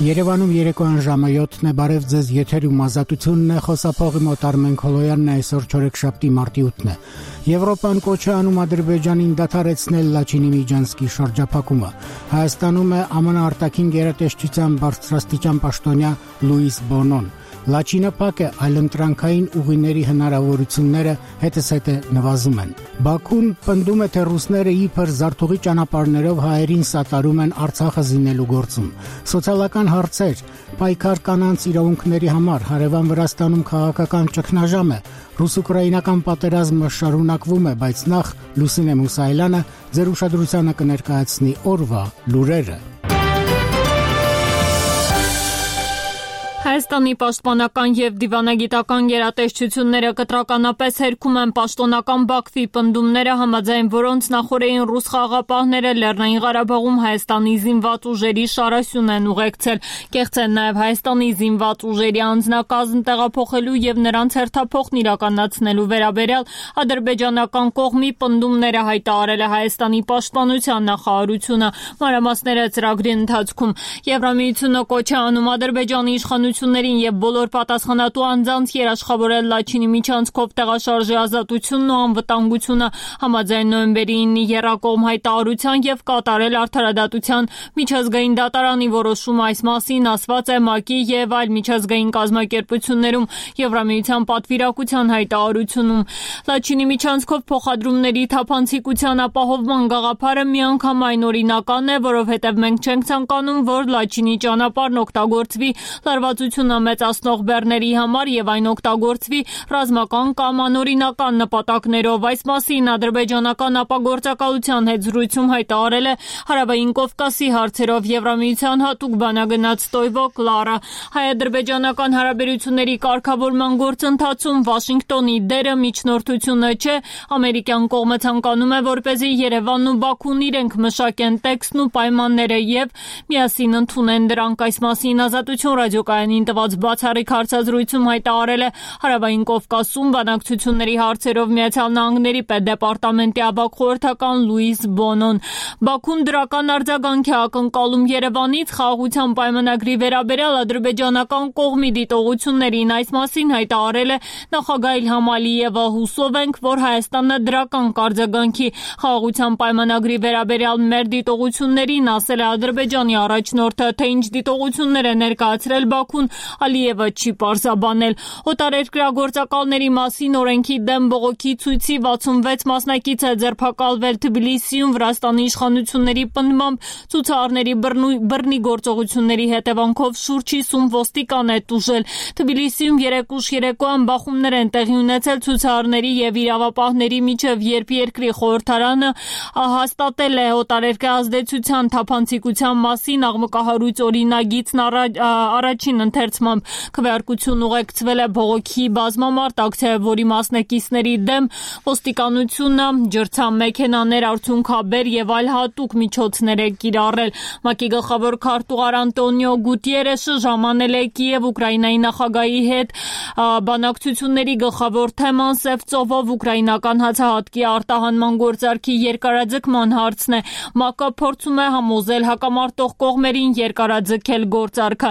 Երևանում երեկոյան ժամը 7-ն է, բարև ձեզ, եթերում ազատությունն է, խոսափողի մոտ Արմեն Քոլոյանն է, այսօր չորեքշաբթի մարտի 8-ն է։ Եվրոպան կոչ է անում Ադրբեջանին դադարեցնել Լաչինի Միջանցքի շրջափակումը։ Հայաստանում է ԱՄՆ արտաքին գերատեսչության բարձրաստիճան պաշտոնյա Լուիս Բոնոն։ Լաչինը փակ է, այլընտրանքային ուղիների հնարավորությունները հետզհետե նվազում են։ Բաքուն պնդում է, թե ռուսները իբր զարթուղի ճանապարհներով հայերին սատարում են Արցախը զինելու գործում։ Սոցիալական հարցեր, պայքար կանանց իրավունքների համար, հարևան Վրաստանում քաղաքական ճգնաժամ է, ռուս-ուկրաինական պատերազմը շարունակվում է, բայց նախ Լուսինե Մուսայելյանը ձեր ուշադրությանը կներկայացնի օրվա լուրերը։ Հայաստանի պաշտպանական և դիվանագիտական գերատեսչությունները կտրականապես հերքում են պաշտոնական Բաքվի պնդումները, համաձայն որոնց նախօրեին ռուս խաղաղապահները Լեռնային Ղարաբաղում Հայաստանի զինված ուժերի շարասյուն են ուղեկցել, կեղծեն նաև Հայաստանի զինված ուժերի անձնակազմ տեղափոխելու և նրանց հերթափոխն իրականացնելու վերաբերյալ ադրբեջանական կողմի պնդումները հայտարարել է Հայաստանի պաշտպանության նախարարությունը։ Մանրամասները ծրագրի ընթացքում Եվրամիությունը կոչ է անում Ադրբեջանի իշխանություններին և բոլոր պատասխանատու անձանց երաշխավորել Լաչինի միջանցքով տեղաշարժի ազատությունն ու անվտանգությունը, համաձայն նոյեմբերի 9-ի եռակողմ հայտարարության և կատարել արդարադատության միջազգային դատարանի որոշումը այս մասին ասված է ՄԱԿ-ի և այլ միջազգային կազմակերպություններում Եվրամիության պատվիրակության հայտարարությունում։ Լաչինի միջանցքով փոխադրումների թափանցիկության ապահովման գաղափարը միանգամայն օրինական է, որովհետև մենք չենք ցանկանում, որ Լաչինի ճանապարհն օգտագործվի լարվածությունը մեծացնող բեռների համար և այն օգտագործվի ռազմական կամ անօրինական նպատակներով։ Այս մասին ադրբեջանական ապագործակալության հետ զրույցում հայտարարել է Հարավային Կովկասի հարցերով Եվրամիության հատուկ բանագնաց Ստոյվո Կլարը։ Հայ-ադրբեջանական հարաբերությունների կարգավորման գործընթացում Վաշինգտոնի դերը միջնորդությունը չէ, ամերիկյան կողմը ցանկանում է, որպեսզի Երևանն ու Բաքուն իրենք մշակեն տեքստն ու պայմանները և միասին ընդունեն դրանք։ Այս մասին Ազատություն ռադիոկայանին տված բացառիկ հարցազրույցում հայտարարել է Հարավային Կովկասում բանակցությունների հարցերով Միացյալ Նահանգների պետդեպարտամենտի ավագ խորհրդական Լուիս Բոնոն։ Բաքուն դրական արձագանք է ակնկալում Երևանից խաղաղության պայմանագրի վերաբերյալ ադրբեջանական կողմի դիտողություններին։ Այս մասին հայտարարել է նախագահ Իլհամ Ալիևը։ Հուսով ենք, որ Հայաստանը դրական կարձագանքի խաղաղության պայմանագրի վերաբերյալ մեր դիտողություններին, ասել է Ադրբեջանի առաջնորդը, թե ինչ դիտողություններ է ներկայացրել Բաքուն, Ալիևը չի պարզաբանել։ Օտարերկրագործակալների մասին օրենքի դեմ բողոքի ցույցի 66 մասնակից է ձերբակալվել Թբիլիսիում Վրաստանի իշխանությունների պնդմամբ ցուցարարների բռնի գործողությունների հետևանքով շուրջ 50 ոստիկան է տուժել։ Թբիլիսիում երեկ ուշ երեկոյան բախումներ են տեղի ունեցել ցուցարարների և իրավապահների միջև, երբ երկրի խորհրդարանը հաստատել է օտարերկրյա ազդեցության թափանցիկության մասին աղմկահարույց օրինագիծն առաջին ընթերցմամբ։ Քվեարկություն ուղեկցվել է բողոքի բազմամարդ ակցիայով, որի մասնակիցների դեմ ոստիկանությունը ջրցան-մեքենաներ, արցունքաբեր և այլ հատուկ միջոցներ է կիրառել։ ՄԱԿ-ի գլխավոր քարտուղար Անտոնիո Գուտիերեշը ժամանել է Կիև Ուկրաինայի նախագահի հետ։ Բանակցությունների գլխավոր թեման Սև ծովով ուկրաինական հացահատկի արտահանման գործարքի երկարաձգման հարցն է։ ՄԱԿ-ը փորձում է համոզել հակամարտող կողմերին երկարաձգել գործարքը։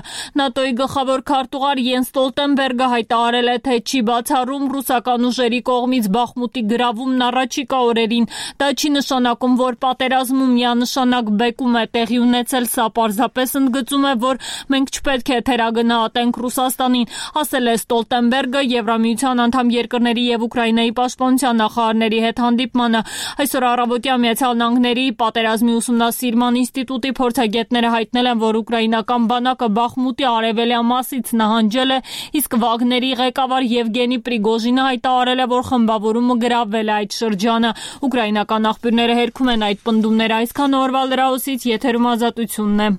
ՆԱՏՕ-ի գլխավոր քարտուղար Յենս Ստոլտենբերգը հայտարարել է, թե չի բացառում ռուսական ուժերի կողմից Բախմուտի գրավումն առաջիկա օրերին։ Դա չի նշանակում, որ պատերազմում միանշանակ բեկում է տեղի ունեցել, սա պարզապես ընդգծում է, որ մենք չպետք է թերագնահատենք Ռուսաստանին, ասել է Ստոլտենբերգը Եվրամիության անդամ երկրների և Ուկրաինայի պաշտպանության նախարարների հետ հանդիպմանը։ Այսօր առավոտյան Միացյալ Նահանգների պատերազմի ուսումնասիրման ինստիտուտի փորձագետները հայտնել են, որ ուկրաինական բանակը Բախմուտի արևելյան մասից նահանջել է, իսկ Վագների ղեկավար Եվգենի Պրիգոժինը հայտարարել է, որ խմբավորումը գրավել է այդ շրջանը։ Ուկրաինական աղբյուրները հերքում են այդ պնդումները։ Այսքան օրվա լրահոսից եթերում Ազատությունն է։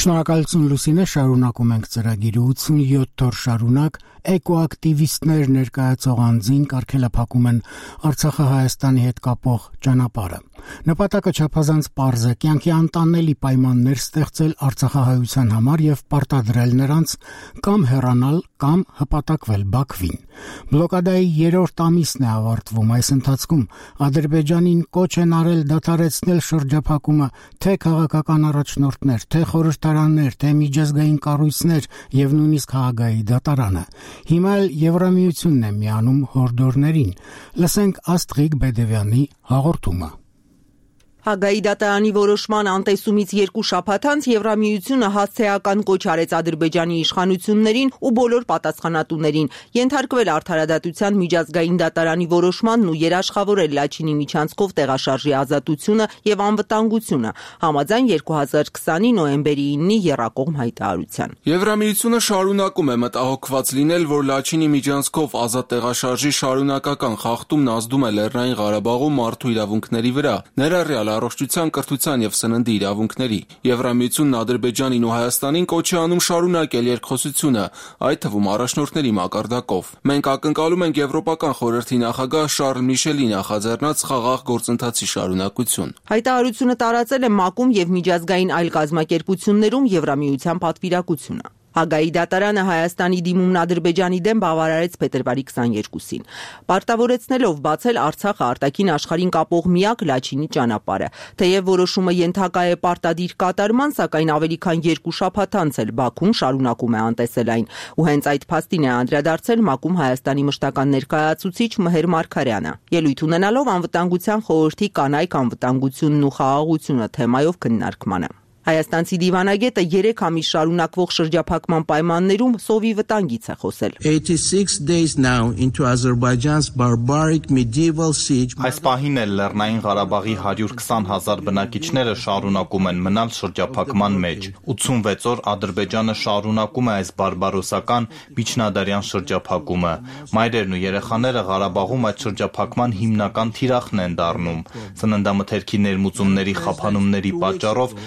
Շնորհակալություն Լուսինե, շարունակում ենք ծրագիրը 87 օր շարունակ էկոակտիվիստներ ներկայացող անձին կարգելափակում են Արցախը Հայաստանի հետ կապող ճանապարհը։ Նպատակը չափազանց պարզ է՝ կյանքի անտանելի պայմաններ ստեղծել արցախահայության համար եւ պարտադրել նրանց կամ հեռանալ կամ հպատակվել Բաքվին։ Բլոկադայի 3-րդ ամիսն է ավարտվում։ Այս ընթացքում Ադրբեջանին կոչ են արել դադարեցնել շրջափակումը թե քաղաքական առաջնորդներ, թե խորհրդարաններ, թե միջազգային կառույցներ եւ նույնիսկ Հաագայի դատարանը։ Հիմա էլ Եվրամիությունն է միանում հորդորներին։ Լսենք Աստղիկ Բեդևյանի հաղորդումը։ Հաագայի դատարանի որոշման անտեսումից 2 շաբաթ անց Եվրամիությունը հասցեական կոչ արեց Ադրբեջանի իշխանություններին ու բոլոր պատասխանատուներին ենթարկվել արդարադատության միջազգային դատարանի որոշմանն ու երաշխավորել Լաչինի միջանցքով տեղաշարժի ազատությունը եւ անվտանգությունը համաձայն 2020-ի նոյեմբերի 9-ի եռակողմ հայտարարության։ Եվրամիությունը շարունակում է մտահոգված լինել, որ Լաչինի միջանցքով ազատ տեղաշարժի շարունակական խախտումն ազդում է Լեռնային Ղարաբաղում մարդու իրավունքների վրա, ներառյալ առողջության, կրթության եւ սննդի իրավունքների։ Եվրամիությունն Ադրբեջանին ու Հայաստանին կոչ է անում շարունակել երկխոսությունը, այդ թվում առաջնորդների մակարդակով։ Մենք ակնկալում ենք Եվրոպական խորհրդի նախագահ Շարլ Միշելի նախաձեռնած խաղաղ գործընթացի շարունակություն։ Հայտարարությունը տարածել է ՄԱԿ-ում եւ միջազգային այլ կազմակերպություններում Եվրամիության պատվիրակությունը։ Հաագայի դատարանը Հայաստանի դիմումն Ադրբեջանի դեմ բավարարեց փետրվարի 22-ին, պարտավորեցնելով բացել Արցախը արտաքին աշխարհին կապող միակ Լաչինի ճանապարհը։ Թեև որոշումը ենթակա է պարտադիր կատարման, սակայն ավելի քան 2 շաբաթ անց էլ Բաքուն շարունակում է անտեսել այն, ու հենց այդ փաստին է անդրադարձել ՄԱԿ-ում Հայաստանի մշտական ներկայացուցիչ Մհեր Մարգարյանը, ելույթ ունենալով անվտանգության խորհրդի կանայք անվտանգությունն ու խաղաղությունը թեմայով քննարկմանը։ Հայաստանցի դիվանագետը 3 ամիս շարունակվող շրջափակման պայմաններում սովի վտանգից է խոսել։ 86 days now into Azerbaijan's barbaric medieval siege. Այս պահին էլ Լեռնային Ղարաբաղի 120,000 բնակիչները շարունակում են մնալ շրջափակման մեջ։ 86 օր Ադրբեջանը շարունակում է այս բարբարոսական միջնադարյան շրջափակումը։ Մայրերն ու երեխաները Ղարաբաղում այդ շրջափակման հիմնական թիրախն են դառնում։ Սննդամթերքի ներմուծումների խափանումների պատճառով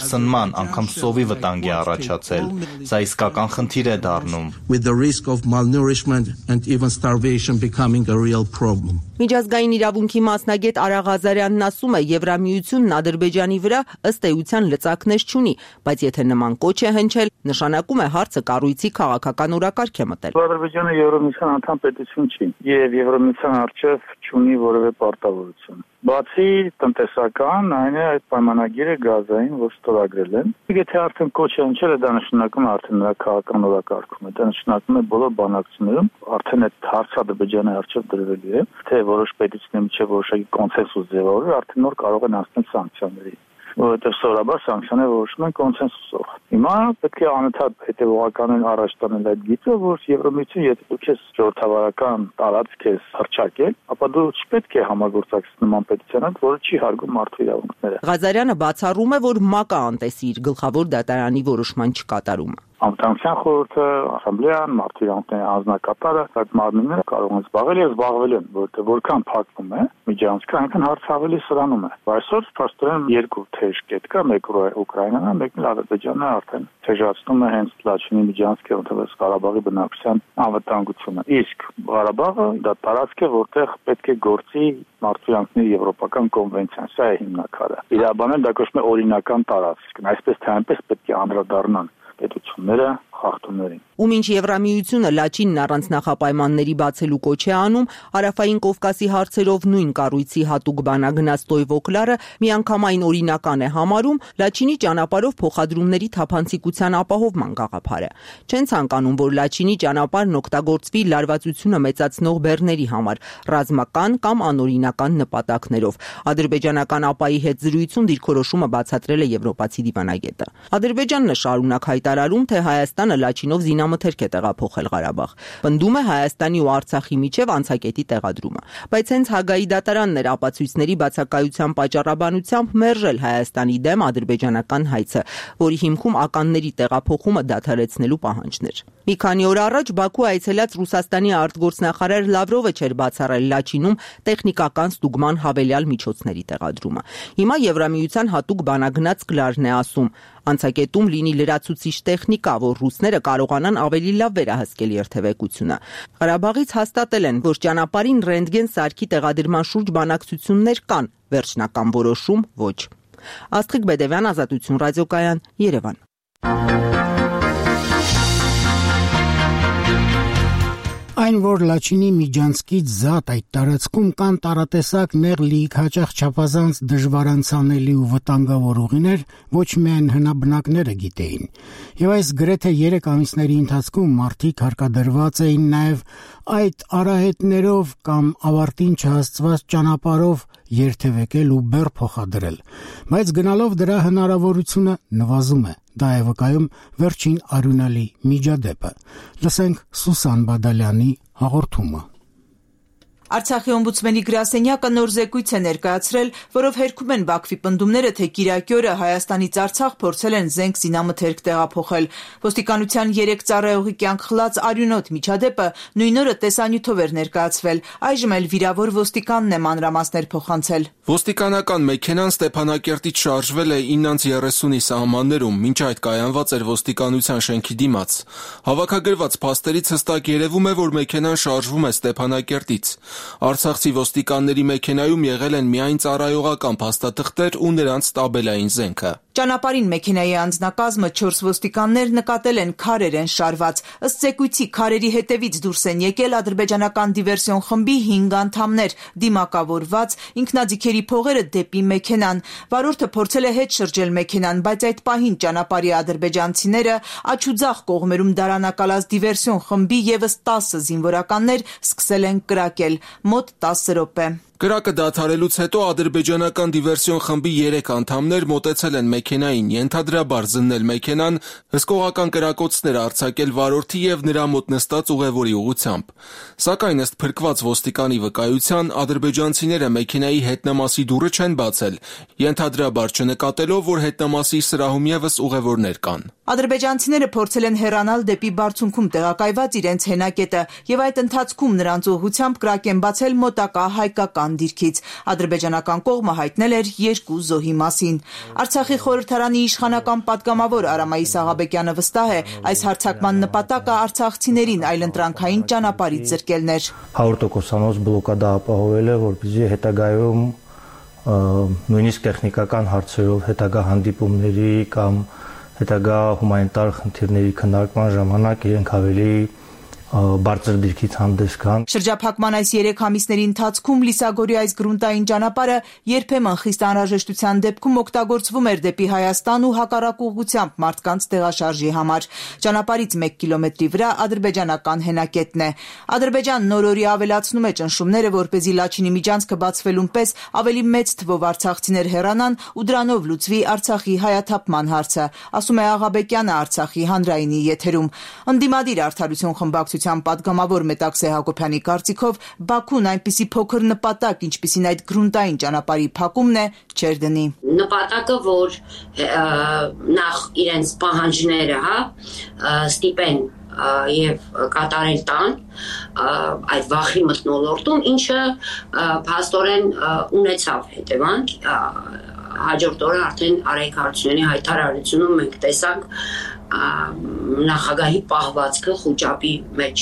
սնման անգամ սովի վտանգ է առաջացել։ Սա իսկական խնդիր է դառնում։ With the risk of malnourishment and even starvation becoming a real problem. Միջազգային իրավունքի մասնագետ Արա Ղազարյանն ասում է, Եվրամիությունն Ադրբեջանի վրա ըստ էության լծակներ չունի, բայց եթե նման կոչ է հնչել, նշանակում է հարցը կառույցի քաղաքական օրակարգ է մտել։ Ադրբեջանը Եվրամիության անդամ պետություն չի եւ Եվրամիության արչեւ չունի որևէ պարտավորություն։ Բացի տնտեսական, այն է այդ պայմանագիրը գազային, որ ստորագրել են։ Եթե արդեն կոչ է հնչել, դա նշանակում է արդեն նրա քաղաքական օրակարգում է, դա նշանակում է բոլոր բանակցություններում արդեն այդ հարցը Ադրբեջանի արչեւ դրվելու է, թե որոշ պետությունների միջև որոշակի կոնսենսուս ձևավորել, արդեն նոր կարող են հասնել սանկցիաների, որովհետև սովորաբար սանկցիաները որոշվում են կոնսենսուսով։ Հիմա պետք է անընդհատ հետևողականորեն առաջ տանել այդ գիծը, որ Եվրամիությունը, եթե դու ես ժողովրդավարական տարածք ես հռչակել, ապա դու չպետք է համագործակցես նման պետության հետ, որը չի հարգում մարդու իրավունքները։ Ղազարյանը բացառում է, որ ՄԱԿ-ը անտեսի իր գլխավոր դատարանի որոշման չկատարումը։ Անվտանգության խորհուրդը, ասամբլեան, մարդու իրավունքների անձնակատարը այդ մարմինները կարող են զբաղվել եւ զբաղվել են, որտեղ որքան փակվում է միջանցքը, այնքան հարցը ավելի սրանում է։ Այսօր փաստորեն 2 թեժ կետ կա, մեկը Ուկրաինան է, մեկն Ադրբեջանը արդեն թեժացնում է հենց Լաչինի միջանցքը, որտեղ Ղարաբաղի բնակչության անվտանգությունը։ Իսկ Ղարաբաղը դա տարածք է, որտեղ պետք է գործի մարդու իրավունքների եվրոպական կոնվենցիան, սա է հիմնակարը։ Իրավաբանները դա կոչվում է օրինական տարածք, այսպես թե այնպես պետք է անդրադառնան պետությունները խախտումներին։ Ու մինչ Եվրամիությունը Լաչինն առանց նախապայմանների բացելու կոչ է անում, Հարավային Կովկասի հարցերով նույն կառույցի հատուկ բանագնաց Տոյվոկլարը միանգամայն օրինական է համարում Լաչինի ճանապարհով փոխադրումների թափանցիկության ապահովման գաղափարը։ Չեն ցանկանում, որ Լաչինի ճանապարհն օգտագործվի լարվածությունը մեծացնող բեռների համար, ռազմական կամ անօրինական նպատակներով։ Ադրբեջանական ԱՊԱ-ի հետ զրույցում դիրքորոշումը բացատրել է եվրոպացի դիվանագետը։ Ադրբեջանն է շարունակ հայտարարում, թե Հայաստանը Լաչինով զինամթերք է տեղափոխել Ղարաբաղ։ Պնդում է Հայաստանի ու Արցախի միջև անցակետի տեղադրումը։ Բայց հենց Հաագայի դատարանն էր ապացույցների բացակայության պատճառաբանությամբ մերժել Հայաստանի դեմ ադրբեջանական հայցը, որի հիմքում ականների տեղափոխումը դադարեցնելու պահանջներ։ Մի քանի օր առաջ Բաքու այցելած Ռուսաստանի արտգործնախարար Լավրովը չէր բացառել Լաչինում տեխնիկական ստուգման հավելյալ միջոցների տեղադրումը։ Հիմա Եվրամիության հատուկ բանագնաց Կլարն է ասում, անցակետում լինի լրացուցիչ տեխնիկա, որ ռուսները կարողանան ավելի լավ վերահսկել երթևեկությունը։ Ղարաբաղից հաստատել են, որ ճանապարհին ռենտգեն սարքի տեղադրման շուրջ բանակցություններ կան, վերջնական որոշում ոչ։ Աստղիկ Բեդևյան, Ազատություն ռադիոկայան, Երևան։ Այն, որ Լաչինի Միջանցքից զատ այդ տարածքում կան տարատեսակ նեղ լիք հաճախ չափազանց դժվարանցանելի ու վտանգավոր ուղիներ, ոչ միայն հնաբնակները գիտեին։ Եվ այս գրեթե 3 ամիսների ընթացքում մարդիկ հարկադրված էին նաև այդ արահետներով կամ ավարտին չհասցված ճանապարհով երթևեկել ու բեռ փոխադրել։ Բայց գնալով դրա հնարավորությունը նվազում է։ Դա է վկայում վերջին արյունալի միջադեպը։ Լսենք Սուսան Բադալյանի հաղորդումը։ Արցախի օմբուդսմենի գրասենյակը նոր զեկույց է ներկայացրել, որով հերքում են Բաքվի պնդումները, թե Կիրակի օրը Հայաստանից Արցախ փորձել են զենք զինամթերք տեղափոխել։ Ոստիկանության 3 ծառայողի կյանք խլած արյունոտ միջադեպը նույն օրը տեսանյութով էր ներկայացվել։ Այժմ էլ վիրավոր ոստիկանն է մանրամասներ փոխանցել։ Ոստիկանական մեքենան Ստեփանակերտից շարժվել է 9:30-ի սահմաններում, մինչ այդ կայանված էր ոստիկանության շենքի դիմաց։ Հավաքագրված փաստերից հստակ երևում է, որ մեքենան շարժվում է Ստեփանակերտից։ Արցախցի ոստիկանների մեքենայում եղել են միայն ծառայողական փաստաթղթեր ու նրանց տաբելային զենքը։ Ճանապարհին մեքենայի անձնակազմը 4 ոստիկաններ նկատել են քարեր են շարված։ Ըստ զեկույցի քարերի հետևից դուրս են եկել ադրբեջանական դիվերսիոն խմբի 5 անդամներ, դիմակավորված, ինքնաձիգերի փողերը դեպի մեքենան։ Վարորդը փորձել է հետ շրջել մեքենան, բայց այդ պահին ճանապարհի ադրբեջանցիները աչուձախ կողմերում դարանակալած դիվերսիոն խմբի եւս 10 զինվորականներ սկսել են կրակել, մոտ 10 րոպե։ Կրակը դադարելուց հետո ադրբեջանական դիվերսիոն խմբի 3 անդամներ մոտեցել են մեքենային, ենթադրաբար զննել մեքենան, հսկողական կրակոցներ արձակել վարորդի եւ նրա մոտ նստած ուղևորի ուղղությամբ։ Սակայն ըստ փրկված ոստիկանի վկայության, ադրբեջանցիները մեքենայի հետնամասի դուռը չեն բացել, ենթադրաբար չնկատելով, որ հետնամասի սրահում եւս ուղևորներ կան։ Ադրբեջանցիները փորձել են հեռանալ դեպի բարձունքում տեղակայված իրենց հենակետը եւ այդ ընթացքում նրանց ուղղությամբ կրակ են բացել մոտակա հայկական դիրքից։ Ադրբեջանական կողմը հայտնել էր 2 զոհի մասին։ Արցախի խորհրդարանի իշխանական պատգամավոր Արամայիս Աղաբեկյանը վստահ է, այս հարձակման նպատակը արցախցիներին այլընտրանքային ճանապարհից զրկելն էր։ 100%-անոց բլոկադա ապահովել է, որպեսզի հետագայում նույնիսկ տեխնիկական հարցերով հետագա հանդիպումների կամ հետագա հումանիտար խնդիրների քննարկման ժամանակ իրենք ավելի բարձր դիրքից հանդես գան։ Շրջափակման այս 3 ամիսների ընթացքում Լիսագորի այս գրունտային ճանապարհը երբեմն խիստ անհրաժեշտության դեպքում օգտագործվում էր դեպի Հայաստան ու հակառակ ուղղությամբ մարդկանց տեղաշարժի համար։ Ճանապարհից 1 կիլոմետրի վրա ադրբեջանական հենակետն է։ Ադրբեջանն նոր-օրի ավելացնում է ճնշումները, որպեսզի Լաչինի միջանցքը բացվելուն պես ավելի մեծ թվով արցախցիներ հեռանան ու դրանով լուծվի Արցախի հայաթափման հարցը, ասում է Աղաբեկյանը Արցախի հանրայինի եթերում։ Ընդդիմադիր Արդարություն խմբակցության պատգամավոր Մետաքսե Հակոբյանի կարծիքով Բաքուն այնպիսի փոքր նպատակ, ինչպիսին այդ գրունտային ճանապարհի փակումն է, չեր դնի։ Նպատակը, որ նախ իրենց պահանջները, ստիպեն եւ կատարել տան այդ վախի մթնոլորտում, ինչը փաստորեն ունեցավ հետևանք։ Հաջորդ օրը արդեն Արայք Հարությունյանի հայտարարությունում մենք տեսանք նախագահի պահվածքը խոճապի մեջ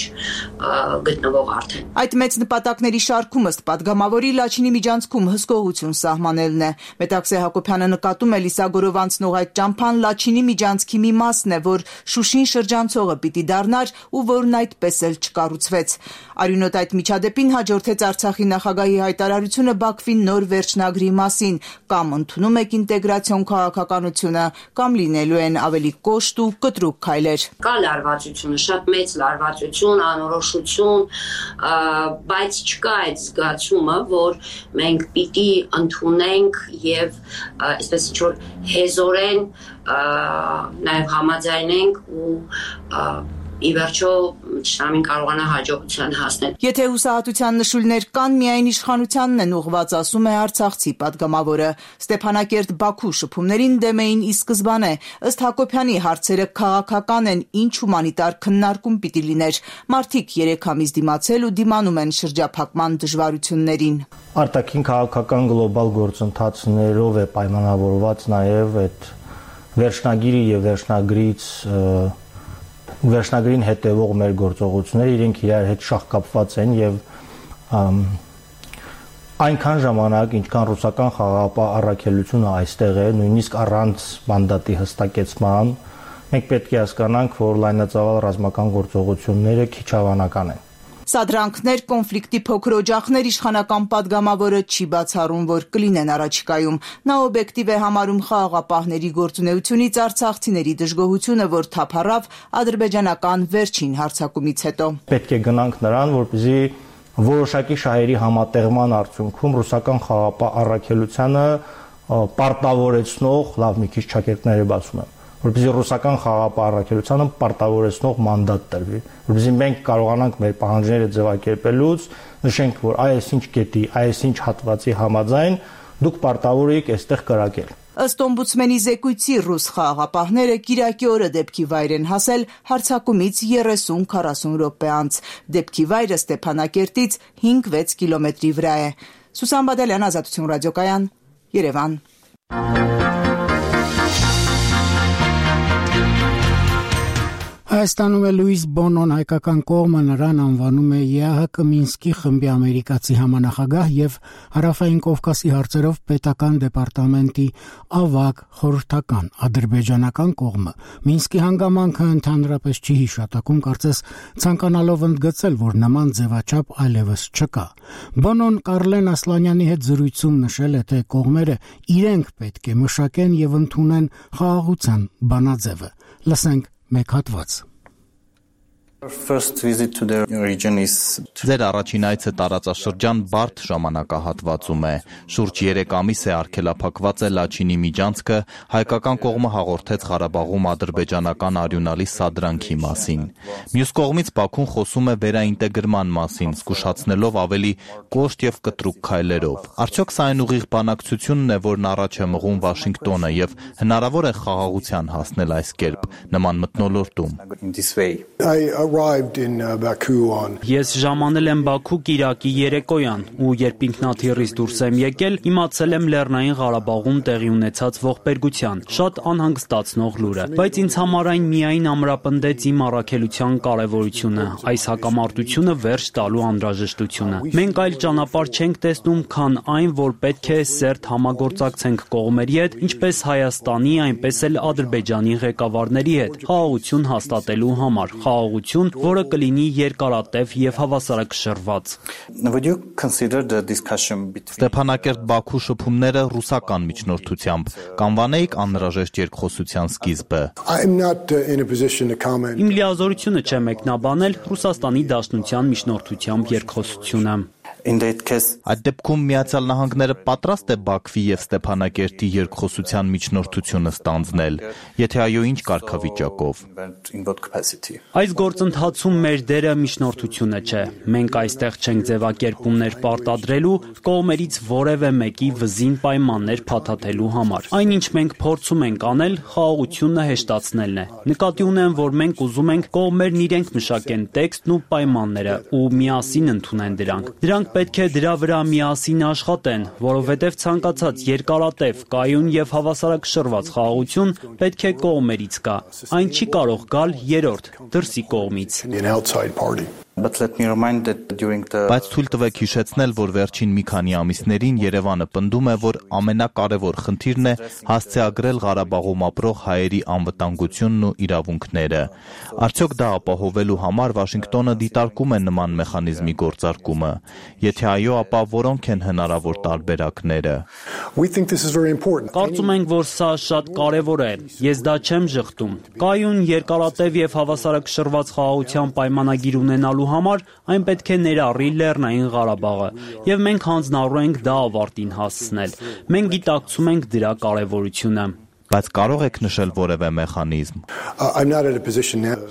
գտնվող արդեն։ Այդ մեծ նպատակների շարքում ըստ պատգամավորի Լաչինի միջանցքում հսկողություն սահմանելն է։ Մետաքսե Հակոբյանը նկատում է Լիսագորով անցնող այդ ճամփան Լաչինի միջանցքի մի մասն է, որ Շուշին շրջանցողը պիտի դառնար ու որն այդպես էլ չկառուցվեց։ Արյունոտ այդ միջադեպին հաջորդեց Արցախի նախագահի հայտարարությունը Բաքվի նոր վերջնագրի մասին, կամ ընդունում եք ինտեգրացիոն քաղաքականությունը, կամ լինելու են ավելի կոշտ ու կտրուկ քայլեր։ Կա լարվածությունը, շատ մեծ լարվածություն, անորոշություն, բայց չկա այդ զգացումը, որ մենք պիտի ընդունենք եւ այսպես ինչ-որ հեզորեն նաեւ համաձայնենք ու ի վերջո ճշտամին կարողանա հաջողության հասնել։ Եթե հուսահատության նշույլներ կան, միայն իշխանությանն են ուղղված, ասում է արցախցի պատգամավորը։ Ստեփանակերտ-Բաքու շփումներին դեմ էին ի սկզբանե։ Ըստ Հակոբյանի հարցերը քաղաքական են, ինչ հումանիտար քննարկում պիտի լիներ։ Մարդիկ 3 ամիս դիմացել ու դիմանում են շրջափակման դժվարություններին։ Արտաքին քաղաքական գլոբալ գործընթացներով է պայմանավորված նաև այդ վերջնագիրի եւ վերջնագրին հետևող մեր գործողությունները, իրենք իրար հետ շահկապված են եւ այնքան ժամանակ, ինչքան ռուսական խաղաղապահ առաքելությունը այստեղ է, նույնիսկ առանց մանդատի հստակեցման, մենք պետք է հասկանանք, որ լայնածավալ ռազմական գործողությունները քիչ հավանական են։ Սադրանքներ, կոնֆլիկտի փոքր օջախներ իշխանական падգամավորը չի բացառում, որ կլինեն առաջիկայում։ Նա օբյեկտիվ է համարում խաղաղապահների գործունեությունից արցախցիների դժգոհությունը, որ թափառավ ադրբեջանական վերջին հարձակումից հետո։ Պետք է գնանք նրան, որպեսզի որոշակի շահերի համատեղման արդյունքում ռուսական խաղաղապահ առաքելությանը պարտավորեցնող, լավ մի քիչ ճակերտներ է բացում եմ, որպեսզի ռուսական խաղաղապահ առաքելությանը պարտավորեցնող մանդատ տրվի, որպեսզի մենք կարողանանք մեր պահանջները ձևակերպելուց նշենք, որ այսինչ կետի, այսինչ հատվածի համաձայն դուք պարտավոր եք այստեղ կրակել։ Ըստ օմբուդսմենի զեկույցի ռուս խաղաղապահները կիրակի օրը դեպքի վայր են հասել հարձակումից 30-40 րոպե անց։ Դեպքի վայրը Ստեփանակերտից 5-6 կիլոմետրի վրա է։ Սուսան Բադալյան, Ազատություն ռադիոկայան, Երևան։ Հայաստանում է Լուիս Բոնոն, հայկական կողմը նրան անվանում է ԵԱՀԿ Մինսկի խմբի ամերիկացի համանախագահ եւ Հարավային Կովկասի հարցերով պետական դեպարտամենտի ավագ խորհրդական։ Ադրբեջանական կողմը Մինսկի հանգամանքը ընդհանրապես չի հիշատակում, կարծես ցանկանալով ընդգծել, որ նման ձևաչափ այլևս չկա։ Բոնոն Կարլեն Ասլանյանի հետ զրույցում նշել է, թե կողմերը իրենք պետք է մշակեն եւ ընդունեն խաղաղության բանաձևը։ Լսենք մեկ հատված։ Ձեր առաջին այցը տարածաշրջան բարդ ժամանակահատվածում է։ Շուրջ 3 ամիս է արգելափակված է Լաչինի միջանցքը, հայկական կողմը հաղորդեց Ղարաբաղում ադրբեջանական արյունալի սադրանքի մասին։ Մյուս կողմից Բաքուն խոսում է վերաինտեգրման մասին, զգուշացնելով ավելի կոշտ եւ կտրուկ քայլերով։ Արդյոք սա այն ուղիղ բանակցությունն է, որն առաջ է մղում Վաշինգտոնը եւ հնարավոր է խաղաղության հասնել այս կերպ նման մթնոլորտում։ Ես ժամանել եմ Բաքու կիրակի երեկոյան ու երբ ինքնաթիռից դուրս եմ եկել, իմացել եմ Լեռնային Ղարաբաղում տեղի ունեցած ողբերգության, շատ անհանգստացնող լուրը, բայց ինձ համար այն միայն ամրապնդեց իմ առաքելության կարևորությունը, այս հակամարտությունը վերջ տալու անհրաժեշտությունը։ Մենք այլ ճանապարհ չենք տեսնում, քան այն, որ պետք է սերտ համագործակցենք կողմերի հետ, ինչպես Հայաստանի, այնպես էլ Ադրբեջանի ղեկավարների հետ, խաղաղություն հաստատելու համար, խաղաղություն, որը կլինի երկարատև եւ հավասարակշռված։ Ստեփանակերտ-Բաքու շփումները ռուսական միջնորդությամբ կանվանեիք անհրաժեշտ երկխոսության սկիզբը։ Իմ լիազորությունը չէ մեկնաբանել Ռուսաստանի Դաշնության միջնորդությամբ երկխոսությունը։ Այդ դեպքում Միացյալ Նահանգները պատրաստ է Բաքվի եւ Ստեփանակերտի երկխոսության միջնորդությունը ստանձնել, եթե այո, ինչ կարգավիճակով։ Այս գործընթացում մեր դերը միջնորդությունը չէ։ Մենք այստեղ չենք ձևակերպումներ պարտադրելու, կողմերից որևէ մեկի վզին պայմաններ փաթաթելու համար։ Այնինչ մենք փորձում ենք անել, խաղաղությունը հեշտացնելն է։ Նկատի ունեմ, որ մենք ուզում ենք կողմերն իրենք մշակեն տեքստն ու պայմանները ու միասին ընդունեն դրանք։ Դրանք պետք է դրա վրա միասին աշխատեն, որովհետև ցանկացած երկարատև, կայուն եւ հավասարակշռված խաղաղություն պետք է կողմերից գա։ Այն չի կարող գալ երրորդ, դրսի կողմից։ Բայց թույլ տվեք հիշեցնել, որ վերջին մի քանի ամիսներին Երևանը պնդում է, որ ամենակարևոր խնդիրն է հասցեագրել Ղարաբաղում ապրող հայերի անվտանգությունն ու իրավունքները։ Արդյոք դա ապահովելու համար Վաշինգտոնը դիտարկում է նման մեխանիզմի գործարկումը։ Եթե այո, ապա որոնք են հնարավոր տարբերակները։ Կարծում ենք, որ սա շատ կարևոր է։ Ես դա չեմ ժխտում։ Կայուն, երկարատև եւ հավասարակշռված խաղաղության պայմանագիր ունենալու համար այն պետք է ներառի Լեռնային Ղարաբաղը, եւ մենք հանձնառու ենք դա ավարտին հասցնել։ Մենք գիտակցում ենք դրա կարևորությունը։ Բայց կարող եք նշել որևէ մեխանիզմ։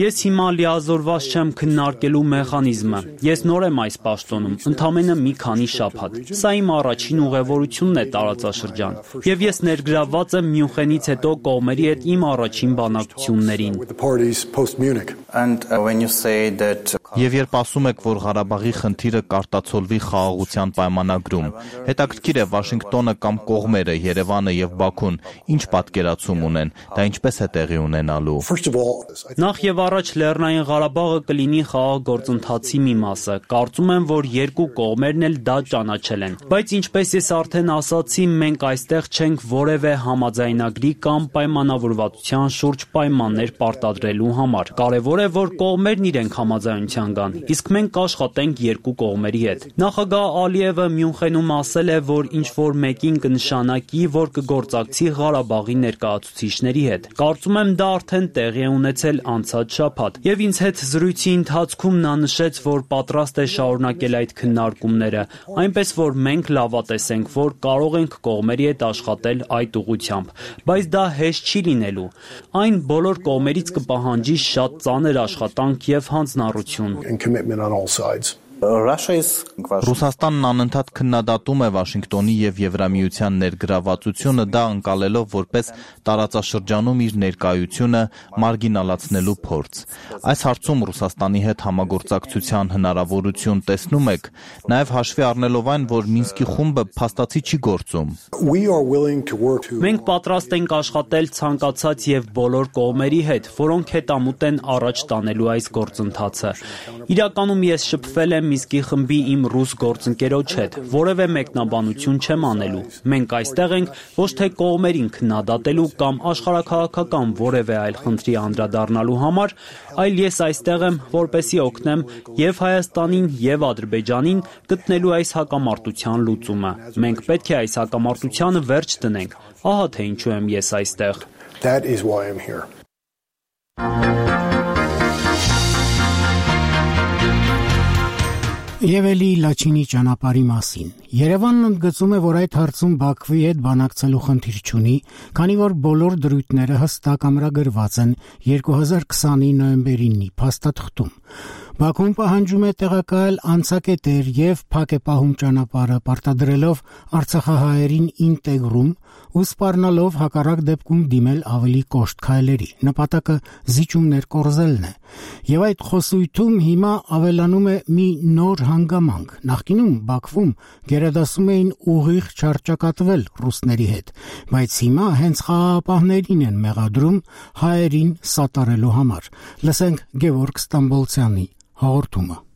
Ես հիմա լիազորված չեմ քննարկելու մեխանիզմը։ Ես նոր եմ այս պաշտոնում, ընդամենը մի քանի շաբաթ։ Սա իմ առաջին ուղևորությունն է տարածաշրջան, եւ ես ներգրավված եմ Մյունխենից հետո կողմերի հետ իմ առաջին բանակցություններին։ Եվ երբ ասում եք, որ Ղարաբաղի խնդիրը կարտացոլվի խաղաղության պայմանագրում, հետաքրքիր է Վաշինգտոնը կամ կողմերը, Երևանը եւ Բաքուն ինչ պատկերացում ունեն, դա ինչպես է տեղի ունենալու։ Նախ եւ առաջ Լեռնային Ղարաբաղը կլինի խաղաղ գործընթացի մի մասը։ Կարծում եմ, որ երկու կողմերն էլ դա ճանաչել են։ Բայց ինչպես ես արդեն ասացի, մենք այստեղ չենք որևէ համաձայնագրի կամ պայմանավորվածության շուրջ պայմաններ պարտադրելու համար։ Կարևոր է, որ կողմերն իրենք համաձայնության գան, իսկ մենք կաշխատենք երկու կողմերի հետ։ Նախագահ Ալիևը Մյունխենում ասել է, որ ինչ որ մեկին կնշանակի, որ կգործակցի Ղարաբաղի ներկայացուցիչների հետ։ Կարծում եմ դա արդեն տեղի է ունեցել անցած շաբաթ։ Եվ ինձ հետ զրույցի ընթացքում նա նշեց, որ պատրաստ է շարունակել այդ քննարկումները, այնպես որ մենք լավատես ենք, որ կարող ենք կողմերի հետ աշխատել այդ ուղղությամբ, բայց դա հեշտ չի լինելու։ Այն բոլոր կողմերից կպահանջի շատ ծանր աշխատանք եւ հանձնառություն։ Ռուսաստանն անընդհատ քննադատում է Վաշինգտոնի եւ Եվրամիության ներգրավվածությունը, դա ընկալելով որպես տարածաշրջանում իր ներկայությունը մարգինալացնելու փորձ։ Այս հարցում Ռուսաստանի հետ համագործակցության հնարավորություն տեսնում եք, նաեւ հաշվի առնելով այն, որ Մինսկի խումբը փաստացի չի գործում։ Մենք պատրաստ ենք աշխատել ցանկացած եւ բոլոր կողմերի հետ, որոնք հետամուտ են առաջ տանելու այս գործընթացը։ Իրականում ես շփվել եմ Մինսկի խմբի իմ ռուս գործընկերոջ հետ, որևէ մեկնաբանություն չեմ անելու։ Մենք այստեղ ենք ոչ թե կողմերին քննադատելու կամ աշխարհաքաղաքական որևէ այլ խնդրի անդրադառնալու համար, այլ ես այստեղ եմ, որպեսզի օգնեմ եւ Հայաստանին եւ Ադրբեջանին գտնելու այս հակամարտության լուծումը։ Մենք պետք է այս հակամարտությանը վերջ դնենք։ Ահա թե ինչու եմ ես այստեղ։ Եվ էլի Լաչինի ճանապարհի մասին։ Երևանն ընդգծում է, որ այդ հարցում Բաքվի հետ բանակցելու խնդիր չունի, քանի որ բոլոր դրույթները հստակ ամրագրված են 2020-ի նոյեմբերի 9-ի փաստաթղթում։ Բաքուն պահանջում է տեղակայել անցակետեր եւ փակ է պահում ճանապարհը, պարտադրելով արցախահայերին ինտեգրում ու սպառնալով հակառակ դեպքում դիմել ավելի կոշտ քայլերի։ Նպատակը զիջումներ կորզելն է։ Եվ այդ խոսույթում հիմա ավելանում է մի նոր հանգամանք։ Նախկինում Բաքվում գերադասում էին ուղիղ չարճակատվել ռուսների հետ, բայց հիմա հենց խաղաղապահներին են մեղադրում հայերին սատարելու համար։ Լսենք Գևորգ Ստամբոլցյանի հաղորդումը։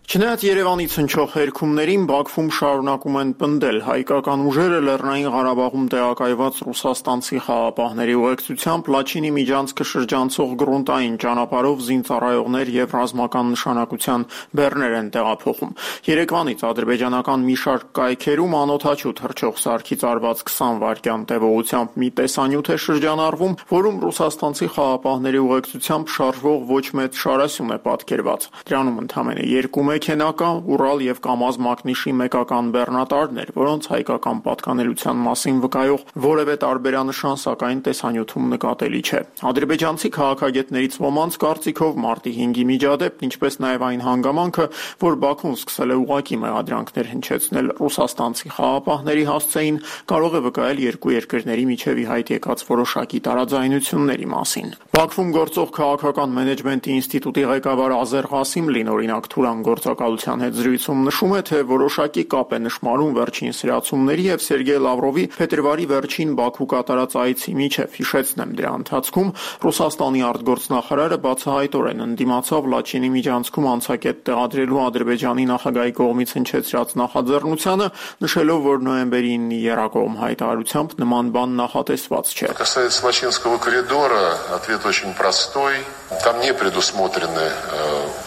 Չնայած Երևանից հնչող հերքումներին Բաքվում շարունակում են պնդել հայկական ուժերը Լեռնային Ղարաբաղում տեղակայված ռուսաստանցի խաղաղապահների ուղեկցությամբ Լաչինի միջանցքը շրջանցող գրունտային ճանապարհով զինծառայողներ եւ ռազմական նշանակության բեռներ են տեղափոխում։ Երեկվանից ադրբեջանական մի շարք կայքերում անօդաչու թռչող սարքից արված 20 վայրկյան տևողությամբ մի տեսանյութ է շրջանառվում, որում ռուսաստանցի խաղաղապահների ուղեկցությամբ շարժվող ոչ մեծ շարասյուն է պատկերված։ Դրանում ընդամենը 2 մեքենակա, Ուրալ եւ Կամազ Մակնիշի մեկական բեռնատարներ, որոնց հայկական պատկանելության մասին վկայող որևէ տարբերանշան սակայն տեսանյութում նկատելի չէ։ Ադրբեջանցի քաղաքագետներից ոմանց կարծիքով մարտի 5-ի միջադեպն, ինչպես նաեւ այն հանգամանքը, որ Բաքուն սկսել է ուղղակի մեղադրանքներ հնչեցնել ռուսաստանցի խաղաղապահների հասցեին, կարող է վկայել երկու երկրների միջև ի հայտ եկած որոշակի տարաձայնությունների մասին։ Բաքվում գործող քաղաքական մենեջմենտի ինստիտուտի ղեկավար Ազեր Ղասիմլին օրինակ Թուրան գործակալության հետ զրույցում նշում է, թե որոշակի կապ է նշмарում վերջին սրացումների եւ Սերգեյ Լավրովի փետրվարի վերջին Բաքու կատարած այցի միջև։ Հիշեցնեմ, դրա ընթացքում Ռուսաստանի արտգործնախարարը բացահայտորեն ընդդիմացավ Լաչինի միջանցքում անցակետ տեղադրելու Ադրբեջանի նախագահի կողմից հնչեցրած նախաձեռնությանը, նշելով, որ նոյեմբերի 9-ի եռակողմ հայտարարությամբ նման բան նախատեսված չէ։ Касается Лачинского коридора, ответ очень простой. Там не предусмотрены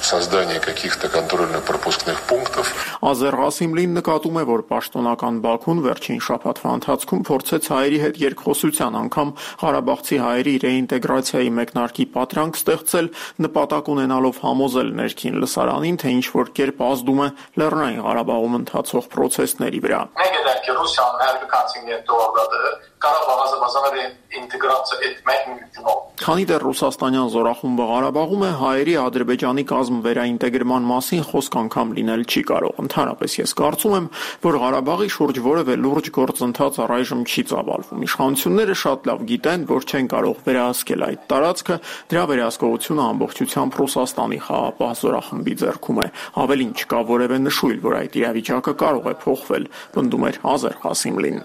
создание каких-то контрольно-пропускных пунктов. Ազեր Ղասիմլին նկատում է, որ պաշտոնական Բաքուն վերջին շաբաթվա ընթացքում փորձեց հայերի հետ երկխոսության անգամ ղարաբաղցի հայերի ռեինտեգրացիայի մեկնարկի պատրանք ստեղծել, նպատակ ունենալով համոզել ներքին լսարանին, թե ինչ որ կերպ ազդում է Լեռնային Ղարաբաղում ընթացող procesների վրա։ Քանի դեռ ռուսաստանյան զորախումբը Ղարաբաղում է, հայերի Ադրբեջանի կազմ վերաինտեգրման մասին խոսք անգամ լինել չի կարող։ Ընդհանրապես ես կարծում եմ, որ Ղարաբաղի շուրջ որևէ լուրջ գործընթաց առայժմ չի ծավալվում։ Իշխանությունները շատ լավ գիտեն, որ չեն կարող վերահսկել այդ տարածքը, դրա վերահսկողությունը ամբողջությամբ Ռուսաստանի խաղաղ զորախմբի ձեռքում է։ Ավելին, չկա որևէ նշույլ, որ այդ իրավիճակը կարող է փոխվել, պնդում էր Ազեր Ղասիմլին։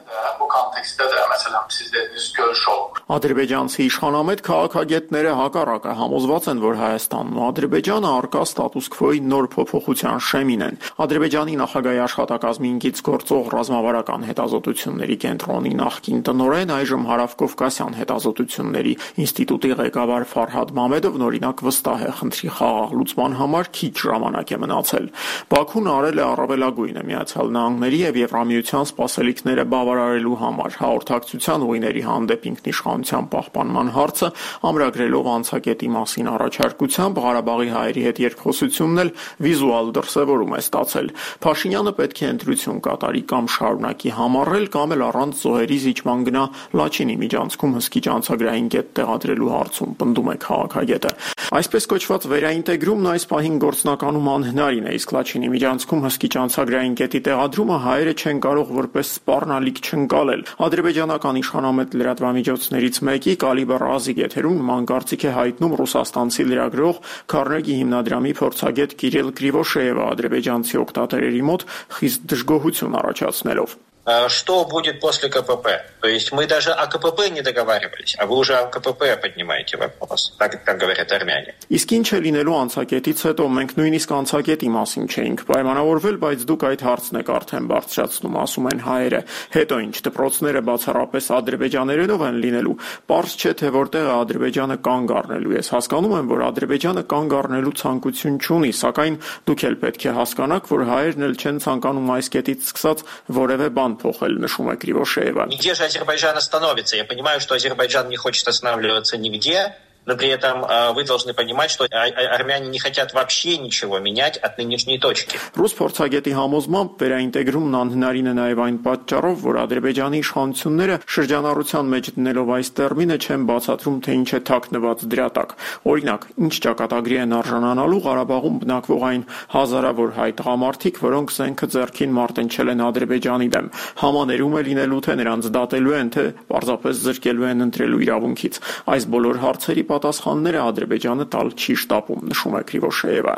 Ադրբեջանցի իշխանամետ քաղաքագետները հակառակը համոզված են, որ Հայաստանն ու Ադրբեջանը առկա ստատուս քվոյի նոր փոփոխության շեմին են։ Ադրբեջանի նախագահի աշխատակազմի ինքից գործող ռազմավարական հետազոտությունների կենտրոնի նախկին տնօրեն, այժմ Հարավկովկասյան հետազոտությունների ինստիտուտի ղեկավար Ֆարհադ Մամեդովն օրինակ վստահ է, խնդրի խաղաղ լուծման համար քիչ ժամանակ է մնացել։ Բաքուն արել է առավելագույնը Միացյալ Նահանգների եւ Եվրամիության սպասելիքները բավարարելու համար հաղորդակցության ուղիների հանդեպ ինքնիշխանության պահպանման հարցը ամրագրելով անցակետի մասին առաջարկությամբ Ղարաբաղի հայերի հետ երկխոսությունն էլ վիզուալ դրսևորում է ստացել։ Փաշինյանը պետք է ընտրություն կատարի կամ շարունակի համառել, կամ էլ առանց զոհերի զիջման գնա Լաչինի միջանցքում հսկիչ անցագրային կետ տեղադրելու հարցում, պնդում է քաղաքագետը։ Այսպես կոչված վերաինտեգրումն այս պահին գործնականում անհնարին է, իսկ Լաչինի միջանցքում հսկիչ անցագրային կետի տեղադրումը հայերը չեն կարող որպես սպառնալիք չընկալել։ Ադրբեջանական իշխանամետ լրատվամիջոցներից մեկի Կալիբր Ազիգ եթերում նման կարծիք է հայտնում ռուսաստանցի լրագրող Քարնեգի հիմնադրամի փորձագետ Կիրիլ Կրիվոշեևը ադրբեջանցի օգտատերերի մոտ խիստ դժգոհություն առաջացնելով։ Что будет после КПП? То есть мы даже о КПП не договаривались, а вы уже о КПП поднимаете вопрос, так говорят армяне. Իսկ ինչ է լինելու անցակետից հետո մենք նույնիսկ անցակետի մասին չէինք պայմանավորվել, բայց դուք այդ հարցն եք արդեն բարձրացնում, ասում են հայերը։ Հետո ինչ, դպրոցները բացառապես ադրբեջաներենով են լինելու։ Պարզ չէ, թե որտեղ է Ադրբեջանը կանգ առնելու։ Ես հասկանում եմ, որ Ադրբեջանը կանգ առնելու ցանկություն չունի, սակայն դուք էլ պետք է հասկանաք, որ հայերն էլ չեն ցանկանում այս կետից սկսած որևէ բան փոխել, նշում է Կրիվոշեևը։ Где же Азербайджан остановится? Я понимаю, что Азербайджан не хочет останавливаться нигде, но при этом вы должны понимать, что армяне не хотят вообще ничего менять от нынешней точки. Ռուս փորձագետի համոզմամբ վերաինտեգրումն անհնարին է նաև այն պատճառով, որ Ադրբեջանի իշխանությունները շրջանառության մեջ դնելով այս տերմինը չեն բացատրում, թե ինչ է թաքնված դրա տակ։ Օրինակ, ինչ ճակատագրի են արժանանալու Ղարաբաղում բնակվող այն հազարավոր հայ տղամարդիկ, որոնք զենքը ձեռքին մարտնչել են Ադրբեջանի դեմ։ Համաներում է լինելու, թե նրանց դատելու են, թե պարզապես զրկելու են ընտրելու իրավունքից։ Այս բոլոր հարցերի պատասխանները Ադրբեջանը տալ չի շտապում, նշում է Կրիվոշեևը։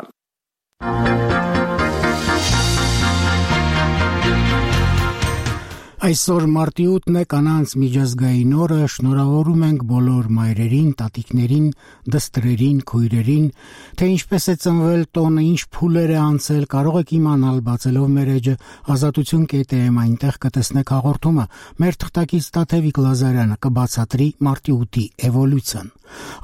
Այսօր մարտի 8-ն է կանանց միջազգային օրը, շնորհավորում ենք բոլոր մայրերին, տատիկներին, դստրերին, քույրերին, թե ինչպես է ծնվել տոնը, ինչ փուլեր է անցել, կարող եք իմանալ բացելով մեր էջը ազատություն.am այնտեղ կտեսնեք հաղորդումը, մեր թղթակից Տաթևիկ Լազարյանը կբացատրի մարտի 8-ի էվոլյուցիան։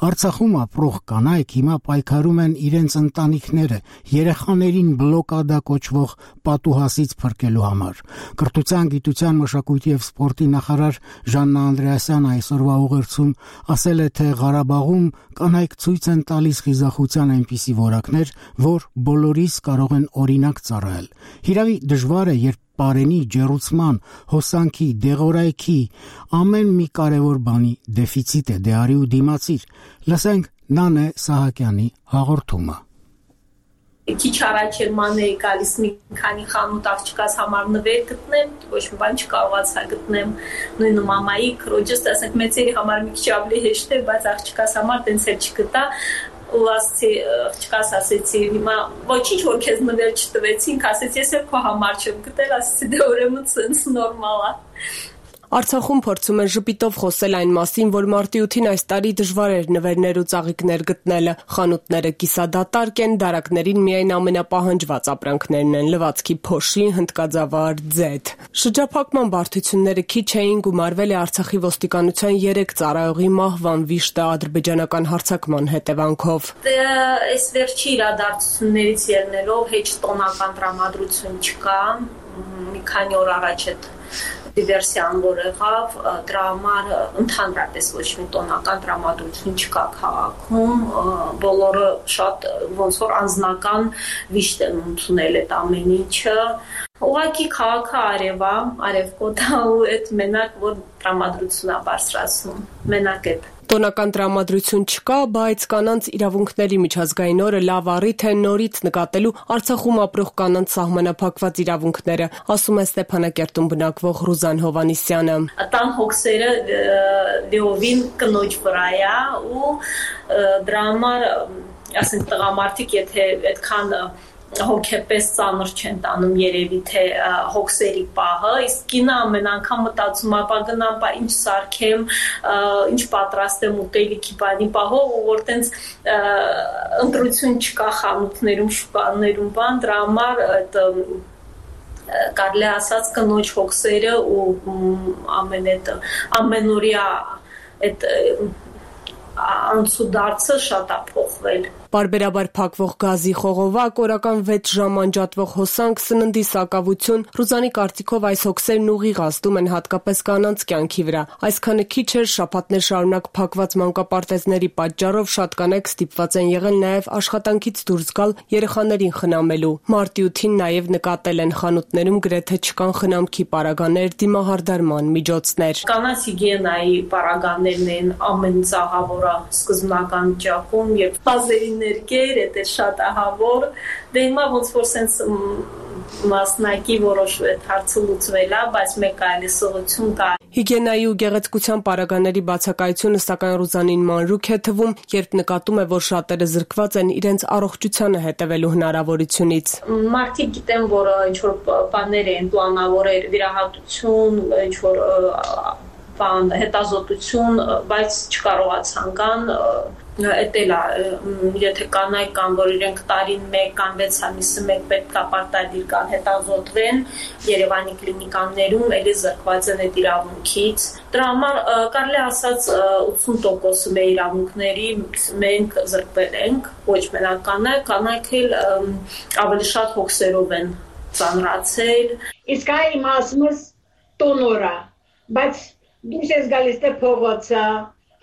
Արցախում ապրող կանայք հիմա պայքարում են իրենց ընտանիքները երեխաներին բլոկադա կոչվող պատուհասից փրկելու համար։ Կրթության, գիտության, մշակույթի եւ սպորտի նախարար Ժաննա Անդրեասյանը այսօրվա ուղերձում ասել է, թե Ղարաբաղում կանայք ցույց են տալիս խիզախության այնպիսի որակներ, որ բոլորիս կարող են օրինակ ծառայել։ Հիրավի դժվար է, երբ Պարենի, ջեռուցման, հոսանքի, դեղորայքի ամեն մի կարևոր բանի դեֆիցիտ է, դե արի ու դիմացիր։ Լսենք Նանե Սահակյանի հաղորդումը։ Քիչ առաջ էր մանեի գալիս մի քանի խանութ աղջկաս համար նվեր գտնեմ, ոչ մի բան չկարողացա գտնեմ, նույնը մամայի, քրոջս, ասենք մեծերի համար մի քիչ ավելի հեշտ է, բայց աղջկաս համար տենց էլ չգտա։ ու աղջկաս ասեցի, հիմա ոչինչ որ քեզ նվեր չտվեցինք, ասեցի, ես էլ քո համար չեմ գտել, ասեցի, դե ուրեմն սենց նորմալ է։ Արցախում փորձում են ժպիտով խոսել այն մասին, որ մարտի 8-ին այս տարի դժվար էր նվերներ ու ծաղիկներ գտնելը։ Խանութները կիսադատարկ են, դարակներին միայն ամենապահանջված ապրանքներն են՝ լվացքի փոշի, հնդկաձավար, ձեթ։ Շրջափակման բարդությունները քիչ էին, գումարվել է Արցախի ոստիկանության 3 ծառայողի մահվան վիշտը ադրբեջանական հարձակման հետևանքով։ Այս վերջի իրադարձություններից ելնելով հեչ տոնական տրամադրություն չկա, մի քանի օր առաջ այդ դիվերսիան որ եղավ, դրա համար ընդհանրապես ոչ մի տոնական տրամադրություն չկա քաղաքում, բոլորը շատ ոնց որ անձնական վիշտ են ընդունել այդ ամեն ինչը։ Ուղղակի քաղաքը արևկոտ է ու այդ մենակ որ տրամադրությունն է բարձրացնում, մենակ այդ։ Տոնական տրամադրություն չկա, բայց կանանց իրավունքների միջազգային օրը լավ առիթ է նորից նկատելու Արցախում ապրող կանանց սահմանափակված իրավունքները, ասում է Ստեփանակերտում բնակվող Ռուզան Հովանիսյանը։ Տան հոգսերը դեովին կնոջ վրա է ու դրա համար, ասենք տղամարդիկ եթե այդքան հոգեպես ծանր չեն տանում երևի թե հոգսերի պահը, իսկ կինը ամեն անգամ մտածում ապա գնամ, բա ինչ սարքեմ, ինչ պատրաստեմ ուտելիքի բանի պահով, որ տենց ընտրություն չկա խանութներում, շուկաներում, բան, դրա համար այդ կարելի ասած կնոջ հոգսերը ու ամենօրյա այդ անցուդարձը շատ է փոխվել։ Պարբերաբար փակվող գազի խողովակ, օրական 6 ժամ անջատվող հոսանք, սննդի սակավություն, Ռուզանի կարծիքով այս հոգսերն ուղիղ ազդում են հատկապես կանանց կյանքի վրա։ Այսքանը քիչ էր, շաբաթներ շարունակ փակված մանկապարտեզների պատճառով շատ կանայք ստիպված են եղել նաև աշխատանքից դուրս գալ երեխաներին խնամելու։ Մարտի 8-ին նաև նկատել են խանութներում գրեթե չկան խնամքի պարագաներ, դիմահարդարման միջոցներ։ Կանանց հիգիենայի պարագաներն են ամեն ծաղավորը սկզբնական ճակում եւ բազերին ներկեր, դա շատ ահավոր, դե հիմա ոնց որ սենց մասնակի որոշ հարցը լուծվել է, բայց մեկ այլ սողություն կա։ Հիգիենայի ու գեղեցկության պարագաների բացակայությունը սակայն Ռուզանին մանրուք է թվում, երբ նկատում է, որ շատերը զրկված են իրենց առողջությանը հետևելու հնարավորությունից։ Մարդիկ գիտեն, որ ինչ-որ բաներ են պլանավորել, վիրահատություն, ինչ-որ հետազոտություն, բայց չկարողացան կան Էտելա, եթե կանայք կան, որ իրենք տարին 1 կամ 6 ամիսը 1 պետք է պարտադիր կան հետազոտվեն Երևանի կլինիկաներում, էլի զրկված են այդ իրավունքից։ Դրա համար կարելի ասած 80% մեր իրավունքների մենք զրկվել ենք, ոչ մենակ կանայք էլ ավելի շատ հոգսերով են ծանրացել։ Իսկ այ մասմս տոնորա, բայց դուրս ես գալիս թե փողոցը,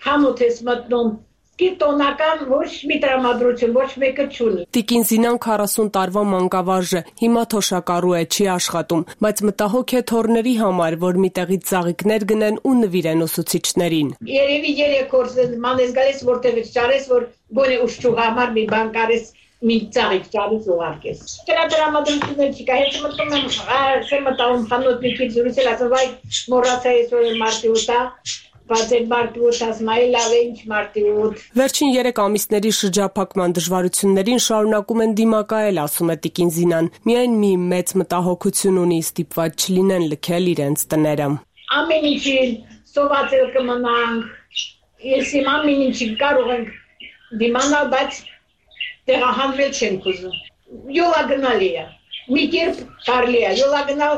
համոթ ես մտնում Տոնական ոչ մի տրամադրություն, ոչ մեկը չունի։ Տիկին Զինան 40 տարվա մանկավարժ է, հիմա թոշակառու է, չի աշխատում, բայց մտահոգ է թոռների համար, որ մի տեղից ծաղիկներ գնեն ու նվիրեն ուսուցիչներին։ Երևի 3 օր մանես գալիս որտեղից ճարես, որ գոնե ուշչուղ համար մի բան կարես մի ծաղիկ ճարես ուղարկես։ Դրա տրամադրություններ չկա, հետ մտնում եմ, մտաղում խանութ մի քիչ զրուցել, ասում վայ մոռացա այսօր մարտի 8-ա Վերջին 3 ամիսների շրջափակման դժվարություններին շարունակում են դիմակայել, ասում է տիկին Զինան։ Միայն մի մեծ մտահոգություն ունի, ստիպված չլինեն լքել իրենց տները։ Ամեն ինչին սովածել կմնանք, ես իմ ամեն ինչին կարող ենք դիմանալ, բայց տեղահանվել չենք ուզում։ Յոլագնալի է, մի կերպ կարելի է, յոլագնալ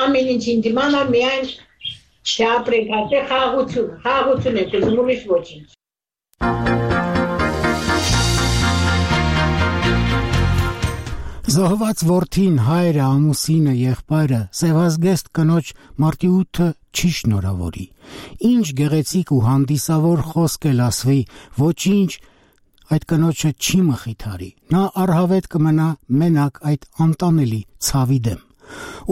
ամեն ինչին դիմանալ միայն Չապրենք, հատե խաղաղություն եք ուզում, ուրիշ ոչինչ։ Զոհված որդին, հայրը, ամուսինը, եղբայրը, սևազգեստ կնոջ մարտի 8-ը չի շնորհավորի։ Ինչ գեղեցիկ ու հանդիսավոր խոսք էլ ասվի, ոչինչ այդ կնոջը չի մխիթարի։ Նա առհավետ կմնա մենակ այդ անտանելի ցավի դեմ։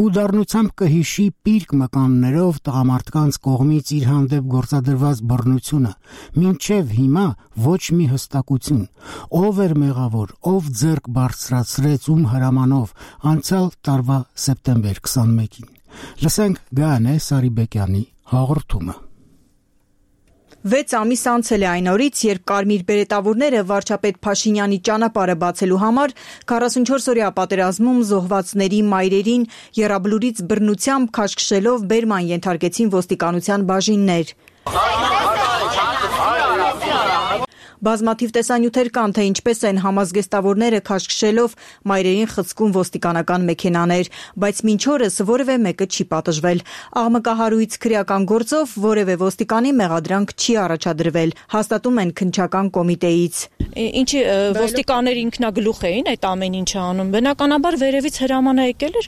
Ու դառնությամբ կհիշի պիրկ մկաններով տղամարդկանց կողմից իր հանդեպ գործադրված բռնությունը, մինչև հիմա ոչ մի հստակություն, ով էր մեղավոր, ով ձեռք բարձրացրեց ում հրամանով անցյալ տարվա սեպտեմբեր 21-ին։ Լսենք Գայանե Սարիբեկյանի հաղորդումը։ 6 ամիս անցել է այն օրից, երբ կարմիր բերետավորները վարչապետ Փաշինյանի ճանապարհը բացելու համար 44-օրյա պատերազմում զոհվածների մայրերին եռաբլուրից բռնությամբ քաշքշելով բերման ենթարկեցին ոստիկանության բաժիններ։ Բազմաթիվ տեսանյութեր կան, թե ինչպես են համազգեստավորները քաշքշելով մայրերին խցկում ոստիկանական մեքենաներ, բայց մինչ օրս որևէ մեկը չի պատժվել։ Աղմկահարույց քրեական գործով որևէ ոստիկանի մեղադրանք չի առաջադրվել, հաստատում են քննչական կոմիտեից։ Ինչի ոստիկանները ինքնագլուխ էին այդ ամեն ինչը անում։ Բնականաբար վերևից հրաման եկել էր,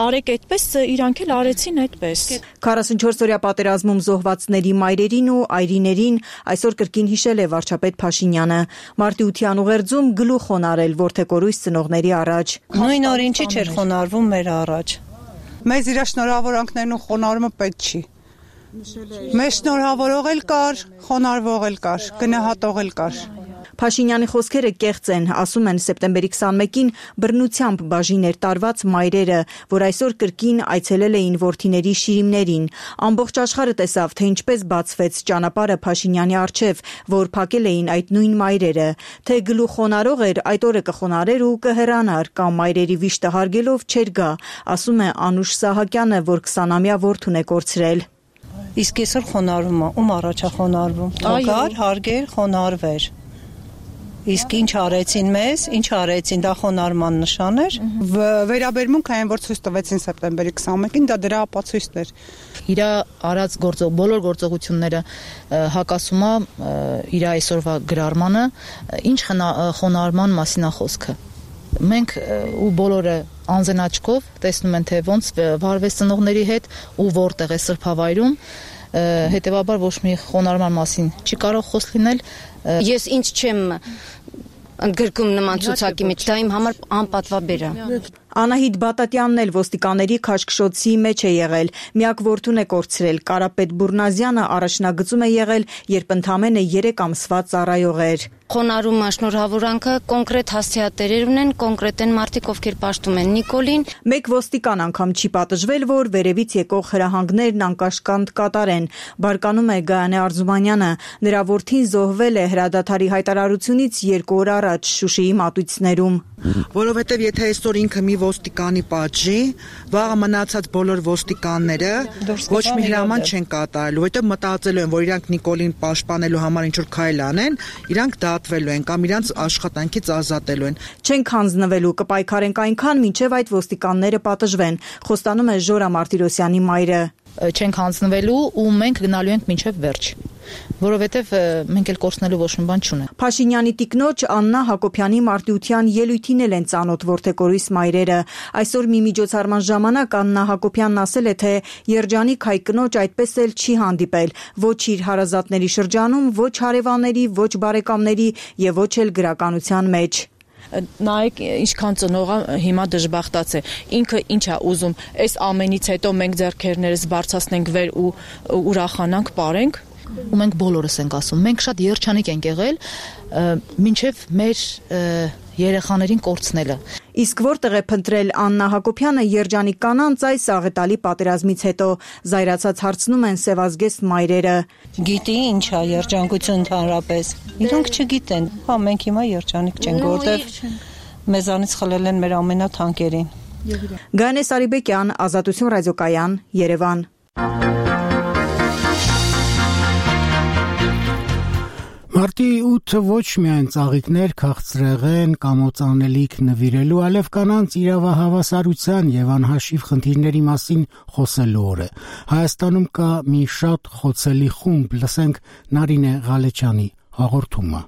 արեք այդպես, իրանք էլ արեցին այդպես։ 44-օրյա պատերազմում զոհվածների մայրերին ու այրիներին այսօր կրկին հիշել է վարչապետ Փաշինյանը։ Մարտի 8-յան ուղերձում գլուխ խոնարել որդեկորույս ծնողների առաջ։ Նույն օր ինչի չէր խոնարվում մեր առաջ։ Մեզ իր շնորհավորանքներն ու խոնարհումը պետք չի։ Մեզ շնորհավորող էլ կար, խոնարհվող էլ կար, գնահատող էլ կար։ Փաշինյանի խոսքերը կեղծ են, ասում են սեպտեմբերի 21-ին բռնությամբ բաժիներ տարված մայրերը, որ այսօր կրկին այցելել էին որդիների շիրիմներին։ Ամբողջ աշխարհը տեսավ, թե ինչպես բացվեց ճանապարհը Փաշինյանի առջև, որ փակել էին այդ նույն մայրերը, թե գլուխ խոնարհող էր, այդ օրը կխոնարհեր ու կհեռանար, կամ մայրերի վիշտը հարգելով չէր գա, ասում է Անուշ Սահակյանը, որ 20-ամյա որդուն է կորցրել։ Իսկ այսօր խոնարհվում է, ում առաջա խոնարհվում։ Ագար, հարգեր, խոնարհվեր։ Իսկ ինչ արեցին մեզ, ինչ արեցին, դա խոնարհման նշան էր։ Վերաբերմունք այն, որ ցույց տվեցին սեպտեմբերի 21-ին, դա դրա ապացույցն էր։ Իր արած բոլոր գործողությունները հակասում է իր այսօրվա գրառմանը, ինչ խոնարհման մասին է խոսքը։ Մենք ու բոլորը անձնաչքով տեսնում են, թե ոնց վարվեց ծնողների հետ ու որտեղ է սրբավայրում, հետևաբար ոչ մի խոնարհման մասին չի կարող խոսք լինել։ Ես ինչ չեմ ընդգրկում նման ցուցակի մեջ, դա իմ համար անպատվաբեր է։ Անահիտ Բատատյանն էլ ոստիկանների քաշքշոցի մեջ է եղել, միակ որդուն է կորցրել, Կարապետ Բուրնազյանը առաջնագծում է եղել, երբ ընդամենը 3 ամսվա ծառայող էր։ Խոնարհումը, շնորհավորանքը կոնկրետ հասցեատերեր ունեն, կոնկրետ են մարդիկ, ովքեր պաշտում են Նիկոլին։ Մեկ ոստիկան անգամ չի պատժվել, որ վերևից եկող հրահանգներն անկաշկանդ կատարեն։ Բարկանում է Գայանե Արզումանյանը, նրա որդին զոհվել է հրադադարի հայտարարությունից 2 օր առաջ Շուշիի մատույցներում։ Որովհետև եթե այսօր ինքը մի ոստիկանի պատժի, վաղը մնացած բոլոր ոստիկանները ոչ մի հրաման չեն կատարելու, որովհետև մտածելու են, որ իրանք Նիկոլին պաշտպանելու համար ինչ-որ քայլ անեն, իրանք դատվելու են կամ իրանք աշխատանքից ազատելու են։ Չենք հանձնվելու, կպայքարենք այնքան, մինչև այդ ոստիկանները պատժվեն, խոստանում է Ժորա Մարտիրոսյանի մայրը։ Չենք հանձնվելու ու մենք գնալու ենք մինչև վերջ, որովհետև մենք էլ կորցնելու ոչ մի բան չունենք։ Փաշինյանի տիկնոջ Աննա Հակոբյանի մարտիության ելույթին են ծանոթ որդեկորույս մայրերը։ Այսօր մի միջոցառման ժամանակ Աննա Հակոբյանն ասել է, թե երջանիկ հայ կնոջ այդպես էլ չի հանդիպել, ոչ իր հարազատների շրջանում, ոչ հարևանների, ոչ բարեկամների եւ ոչ էլ գրականության մեջ։ Նայեք ինչքան ծնողը հիմա դժբախտած է, ինքը ինչ է ուզում, այս ամենից հետո մենք ձեռքերներս բարձրացնենք վեր ու ուրախանանք, ապարենք, ու մենք բոլորս ենք ասում, մենք շատ երջանիկ ենք եղել, մինչև մեր երեխաներին կորցնելը։ Իսկ որտեղ է փնտրել Աննա Հակոբյանը երջանիկ կանանց այս աղետալի պատերազմից հետո, զայրացած հարցնում են սևազգեստ մայրերը։ Գիտի ինչ է երջանկություն ընդհանրապես։ Իրանք չգիտեն, հա մենք հիմա երջանիկ չենք, որտեղ մեզանից խլել են մեր ամենաթանկերին։ Գայանե Սարիբեկյան, Ազատություն ռադիոկայան, Երևան։ Մարտի 8-ը ոչ միայն ծաղիկներ, քաղցրեղեն, կամոծանելիք նվիրելու, այլև կանանց իրավահավասարության եւ անհաշիվ խնդիրների մասին խոսելու օր է։ Հայաստանում կա մի շատ խոցելի խումբ, լսենք Նարինե Ղալեչյանի հաղորդումը։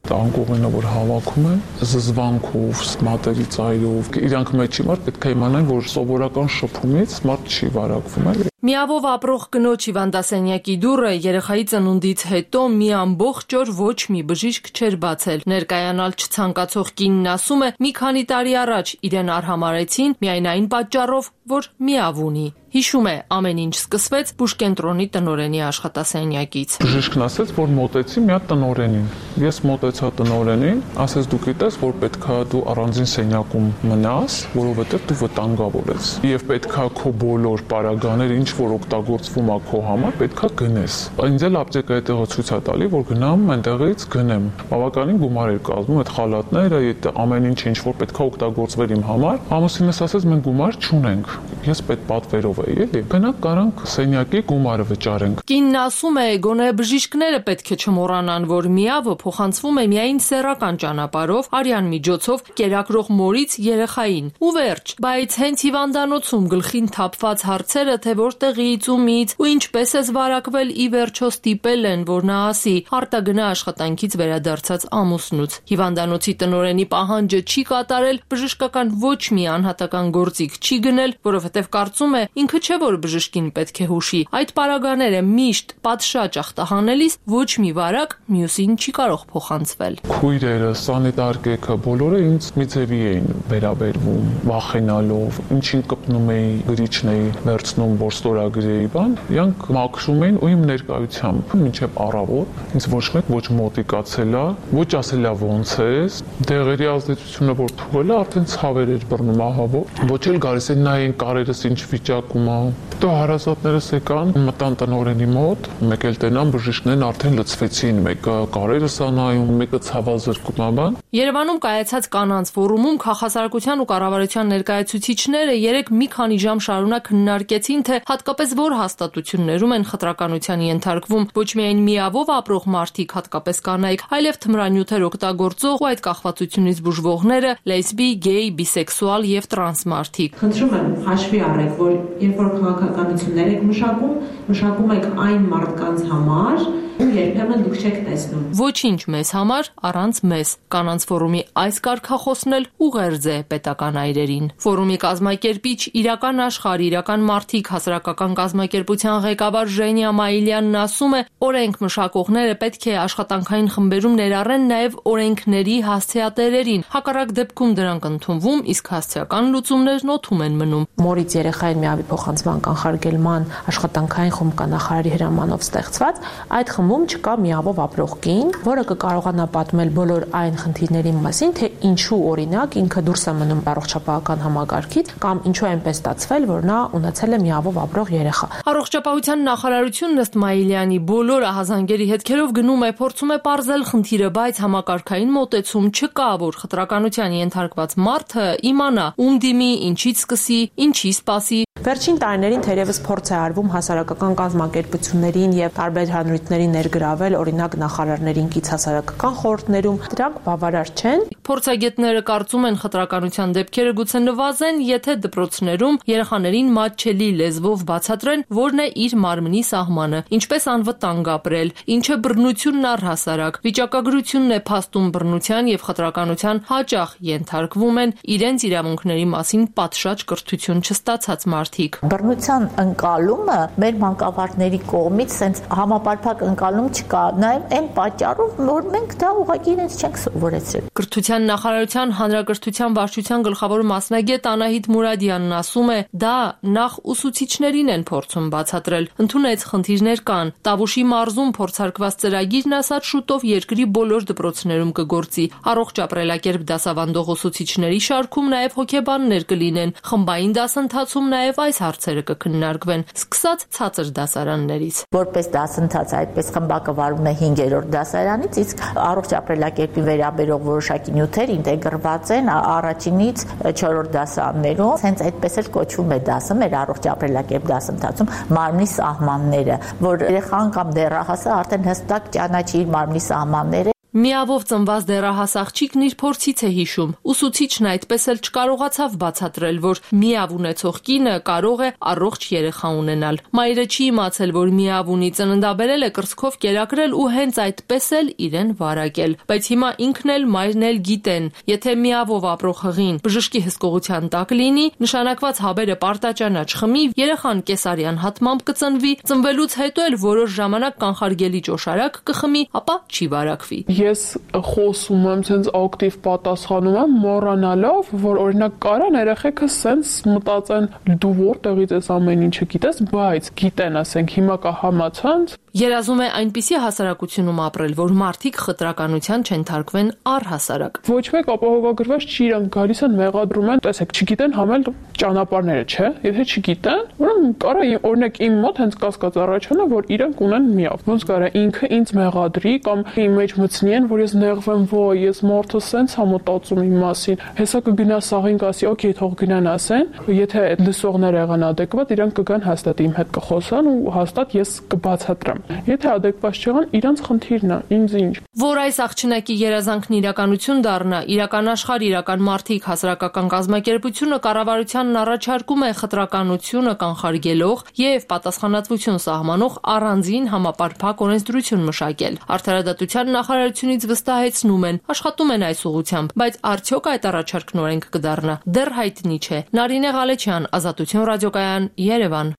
Անկողինը, որ հավաքում են, զզվանքով, մատերի ծայրով, իրանք մեջի մարդ պետք է իմանան, որ սովորական շփումից մարդ չի վարակվում, էլի։ Միավով ապրող կնոջ հիվանդասենյակի դուռը երեխայի ծնունդից հետո մի ամբողջ օր ոչ մի բժիշկ չէր բացել։ Ներկայանալ չցանկացող կինն ասում է, մի քանի տարի առաջ իրեն արհամարեցին միայն այն պատճառով, որ միավ ունի։ Հիշում է, ամեն ինչ սկսվեց բուժկենտրոնի տնօրենի աշխատասենյակից։ Բժիշկն ասաց, որ մոտեցի մի հատ տնօրենին։ Ես մոտեցա տնօրենին, ասեց դու գիտես, որ պետքա դու առանձին սենյակում մնաս, որովհետև դու վտանգավոր ես։ Եվ պետքա քո բոլոր պարագաները, ինչ որ օգտագործվում է քո համար, պետքա գնես։ Ինձ էլ ապտեկայի տեղը ցույց է տալի, որ գնամ այնտեղից գնեմ։ Բավականին գումար էր կազմում այդ խալատները, այդ ամեն ինչ ինչ որ պետքա օգտագործվեր իմ համար։ Ամուսինս ասեց մենք գումար չունենք։ Ես պետք պատվերով էլի։ Գնանք կարանք սենյակի գումարը վճարենք։ Կինն ասում է, գոնե բժիշկները պետք է չմոռանան, որ միավը փոխանցվում է միայն սեռական ճանապարհով, արյան միջոցով կերակրող մորից երեխային։ Ու վերջ, բայց հենց հիվանդանոցում գլխին թափված հարցերը, թե որտեղից, ումից ու ինչպես է վարակվել, ի վերջո ստիպել են, որ նա ասի, արտագնա աշխատանքից վերադարձած ամուսնուց։ Հիվանդանոցի տնօրենի պահանջը չի կատարել, բժշկական ոչ մի անհատական գործիք չի գնել, որովհետև կարծում է, ինքը չէ որ բժշկին պետք է հուշի։ Այդ պարագաները միշտ պատշաճ ախտահանելիս ոչ մի վարակ մյուսին չի կարող փոխանցվել։ Քույրերը, սանիտար կեքը բոլորը ինձ մի ձևի էին վերաբերվում, վախենալով, ինչին կպնում էի, գրիչն էի վերցնում, որ ստորագրերի բան, իրանք մաքրում էին ու իմ ներկայությամբ մինչև առավոտ ինձ ոչ մեկ ոչ մոտիկացել է, ոչ ասել է ոնց ես, դեղերի ազդեցությունը որ թողել է, արդեն ցավեր էր բռնում ահավոր, ոչ էլ գալիս են նայեն կարերս ինչ վիճակում է։ Դու հարազատներս եկան, մտան տնօրենի մոտ, մեկ էլ տենան բժիշկներն արդեն լցվեցին, մեկը կարերս է նայում, մեկը ցավազրկում է բան։ Երևանում կայացած կանանց ֆորումում քաղաքասարակության ու կառավարության ներկայացուցիչները երեք մի քանի ժամ շարունակ քննարկեցին, թե հատկապես որ հաստատություններում են խտրականության ենթարկվում ոչ միայն միավով ապրող մարդիկ, հատկապես կանայք, այլև թմրանյութեր օգտագործող ու այդ կախվածությունից բուժվողները, լեսբի, գեյ, բիսեքսուալ եւ տրանս մարդիկ։ Խնդրում եմ հաշվի առեք, որ երբ որ քաղաքականություններ եք մշակում եք այն մարդկանց համար, ում երբեմն դուք չեք տեսնում։ Ոչինչ մեզ համար առանց մեզ։ Կանանց ֆորումի այս կարգախոսն էլ ուղերձ է պետական այրերին։ Ֆորումի կազմակերպիչ իրական աշխարհ, իրական մարդիկ հասարակական կազմակերպության ղեկավար Ժենիա Մայիլյանն ասում է, օրենք մշակողները պետք է աշխատանքային խմբերում ներառեն նաև օրենքների հասցեատերերին։ Հակառակ դեպքում դրանք ընդունվում, իսկ հասցեական լուծումներն օդում են մնում։ Մորից երեխային միավի փոխանցման կանխարգելման աշխատանքային խումբ կա նախարարի հրամանով ստեղծված, այդ խմբում չկա միավով ապրող կին, որը կկարողանա պատմել բոլոր այն խնդիրների մասին, թե ինչու օրինակ ինքը դուրս է մնում առողջապահական համակարգից կամ ինչու է այնպես ստացվել, որ նա ունեցել է միավով ապրող երեխա։ Առողջապահության նախարարությունն ըստ Մայիլյանի բոլոր ահազանգերի հետքերով գնում է, փորձում է պարզել խնդիրը, բայց համակարգային մոտեցում չկա, որ խտրականության ենթարկված մարդը իմանա, ում դիմի, ինչից սկսի, ինչի սպասի։ Վերջին տարիներին թերևս փորձ է արվում հասարակական կազմակերպություններին եւ տարբեր հանրույթներին ներգրավել, օրինակ նախարարներին կից հասարակական խորհուրդներում, դրանք բավարար չեն։ Փորձագետները կարծում են խտրականության դեպքերը գուցե նվազեն, եթե դպրոցներում երեխաներին մատչելի լեզվով բացատրեն, որն է իր մարմնի սահմանը, ինչպես անվտանգ ապրել, ինչը բռնությունն առհասարակ, վիճակագրությունն է փաստում բռնության եւ խտրականության հաճախ ենթարկվում են իրենց իրավունքների մասին պատշաճ կրթություն չստացած մարդիկ։ Բռնության ընկալումը մեր մանկավարժների կողմից sense համապարփակ ընկալում չկա, նաեւ այն պատճառով, որ մենք դա ուղղակի իրենց չենք սովորեցրել։ Կրթության նախարարության հանրակրթության վարչության գլխավոր մասնագետ Անահիտ Մուրադյանն ասում է, դա նախ ուսուցիչներին են փորձում բացատրել, ընդունեց խնդիրներ կան։ Տավուշի մարզում փորձարկված ծրագիրն ասած շուտով երկրի բոլոր դպրոցներում կգործի։ Առողջ ապրելակերպ դասավանդող ուսուցիչների շարքում նաեւ հոգեբաններ կլինեն։ Խմբային դասընթացում նաեւ այս հարցերը կքննարկվեն, սկսած ցածր դասարաններից։ Որպես դասընթաց այդպես խմբակվարում է 5-րդ դասարանից, իսկ առողջ ապրելակերպի վերաբերող որոշակի նյութեր ինտեգրված են առաջինից 4-րդ դասարաններում, հենց այդպես էլ կոչվում է դասը մեր առողջ ապրելակերպ դասընթացում մարմնի սահմանները, որ երեխան կամ դեռահասը արդեն հստակ ճանաչի իր մարմնի սահմանները։ Միավով ծնված դեռահաս աղջիկն իր փորձից է հիշում։ Ուսուցիչն այդպես էլ չկարողացավ բացատրել, որ միավ ունեցող կինը կարող է առողջ երեխա ունենալ։ Մայրը չի իմացել, որ միավ ունի, ծննդաբերել է կրծքով կերակրել ու հենց այդպես էլ իրեն վարակել։ Բայց հիմա ինքն էլ մայրն էլ գիտեն, եթե միավով ապրող հղին բժշկի հսկողության տակ լինի, նշանակված հավերը պարտաճանաչ խմի, երեխան կեսարյան հատմամբ կծնվի, ծնվելուց հետո էլ որոշ ժամանակ կանխարգելի ճոշարակ կխմի, ապա չի վարակվի։ Ես խոսում եմ, sense ակտիվ պատասխանում եմ, մոռանալով, որ օրինակ կարան երեխեքը sense մտածեն դու որտեղից ես ամեն ինչը գիտես, բայց գիտեն, ասենք հիմա կա համացանց։ Երազում է այնպիսի հասարակությունում ապրել, որ մարդիկ խտրականության չենթարկվեն առհասարակ։ Ոչ մեկ ապահովագրված չի, իրանք գալիս են մեղադրում են, տեսեք, չգիտեն համել ճանապարհները, չէ՞։ Եթե չգիտեն, ուրեմն կարա օրինակ իմ մոտ հենց կասկած առաջանա, որ իրանք ունեն միավ։ Ոնց կարա ինքը ինձ մեղադրի կամ իմ մեջ մտցնի, որ ես նեղվեմ, ոյ, ես մարդը սենց համոտածում իմ մասին։ Հեսա կգնա սաղին կասի, օքեյ, թող գնան ասեն, եթե այդ լսողները եղան ադեկվատ, իրանք կգան հաստատ իմ հետ կխոսան ու հաստատ ես կբացատրեմ։ Եթե ադեկվատ չեղան, իրանց խնդիրն է, ինձ ինչ։ Որ այս աղջնակի երազանքն իրականություն դառնա, իրական աշխարհ, իրական մարդիկ, հասարակական կազմակերպությունը կառավարությանն առաջարկում է խտրականությունը կանխարգելող եւ պատասխանատվություն սահմանող առանձին համապարփակ օրենսդրություն մշակել։ Արդարադատության նախարարությունից վստահեցնում են, աշխատում են այս ուղղությամբ, բայց արդյոք այդ առաջարկն օրենք կդառնա, դեռ հայտնի չէ։ Նարինե Ղալեչյան, Ազատություն ռադիոկայան, Երևան։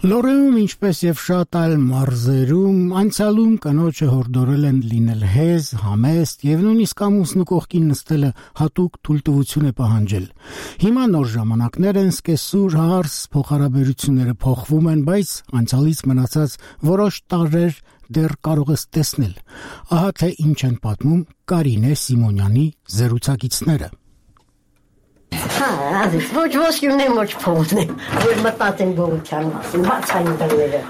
Լորեում, ինչպես եւ շատ այլ մարզերում, անցյալում կնոջը հորդորել են լինել հեզ, համեստ եւ նույնիսկ ամուսնու կողքին նստելը հատուկ թույլտվություն է պահանջել։ Հիմա նոր ժամանակներ են, սկեսուր հարս փոխհարաբերությունները փոխվում են, բայց անցյալից մնացած որոշ տարրեր դեռ կարող ես տեսնել։ Ահա թե ինչ են պատմում Կարինե Սիմոնյանի զրուցակիցները։ Ազիզ, ոչ ոսկյուն եմ, ոչ փողն եմ, որ մտածեն բողության մասին, բացային դրները։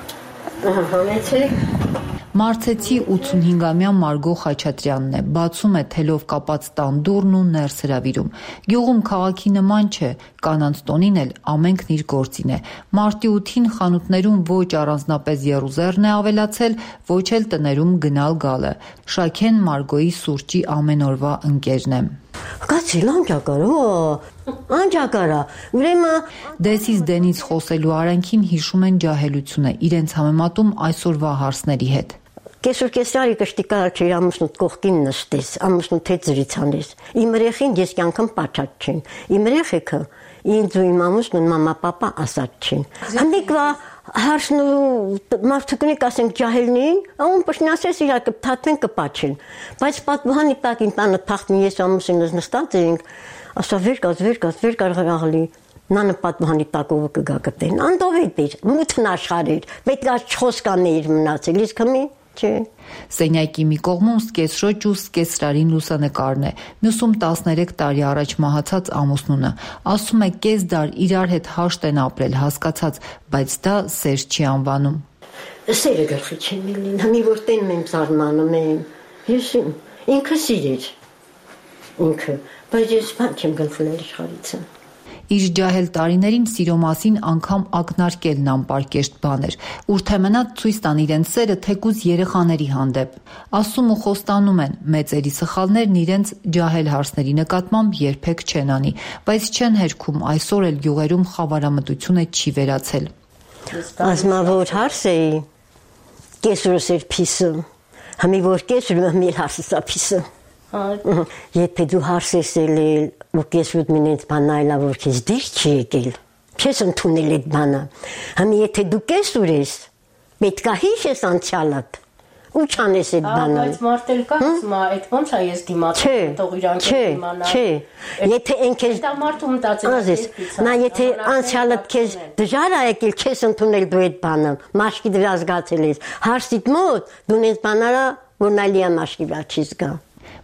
Համեցեք։ Մարցեցի 85-ամյա Մարգո Խաչատրյանն է, բացում է թելով կապած տանդուրն ու ներս հրավիրում։ Գյուղում քաղաքի նման չէ, կանանց տոնին էլ ամենքն իր գործին է։ Մարտի 8-ին խանութներում ոչ առանձնապես եռուզեռն է ավելացել, ոչ էլ տներում գնալ գալը։ Շաքեն Մարգոյի սուրճի ամենօրվա ընկերն է։ Կացի անջակարա, ուրեմն դեսից դենից խոսելու արանքին հիշում են ջահելությունը, իրենց համեմատում այսօրվա հարսների հետ։ Կեսուր կեսարի կշտիկար չէր ամուսնուտ կողքին նստես, ամուսնուտ հետ զրից անես։ Իմ երեխին ես կյանքım պատճաճ չեն։ Իմ երեխեքը ինձ ու իմ ամուսնուն մամա պապա ասած չեն։ Հանդիկվա հարսնու մարդուկնիկ ասենք ջահելնին, ում պշնասես իրար կփթաթեն կպաչեն։ Բայց պատմանի տակ իմ տանը թախտնի ես ամուսինս նստած էինք, ասա վեր կար Նանը պատմանի տակովը կգա կտեն։ Անդովետ էր, մութն աշխարհ էր, պետք է խոսկաներ մնացել, իսկ հիմա չէ։ Սենյակի մի կողմում սկեսրոջ ու սկեսրարին լուսանկարն է, մյուսում 13 տարի առաջ մահացած ամուսնունը։ Ասում է կես դար իրար հետ հաշտ են ապրել, հասկացած, բայց դա սեր չի անվանում։ Սերը գլխի չեմ լինի, հիմի որ տենում եմ զարմանում եմ։ Ես ինքը սիրեր։ Ինքը, բայց ես բան չեմ գլխել իշխարիցը։ Իր ջահել տարիներին սիրո մասին անգամ ակնարկելն անպարկեշտ բան էր, ուր թե մնաց ցույց տան իրենց սերը թեկուզ երեխաների հանդեպ։ Ասում ու խոստանում են, մեծերի սխալներն իրենց ջահել հարսների նկատմամբ երբեք չեն անի, բայց չեն հերքում այսօր էլ գյուղերում խավարամտությունը չի վերացել։ Ազմավոր հարս էի, կեսուրս էր փիսը, համի որ կեսուրը մեր հարսսա փիսը։ Եթե դու հարսես էլ ու կեսուտ մինենց բանայլա, որ քեզ դիշ չի եկել, չես ընդունել այդ բանը, համի եթե դու կեսուր ես, պետք է հիշես անցյալդ, ու չանես այդ բանը։ Բայց մարդել կա, ասմա, այդ ոնց է ես դիմացել, թող իրանք դիմանա։ Չէ, եթե են քեզ դա մարդու մտածել նա եթե անցյալդ քեզ դժվար է եկել, չես ընդունել դու այդ բանը, մաշկի դրա զգացել ես, հարսիդ մոտ դու նենց բանարա, որ նալիա մաշկի վրա չի զգա։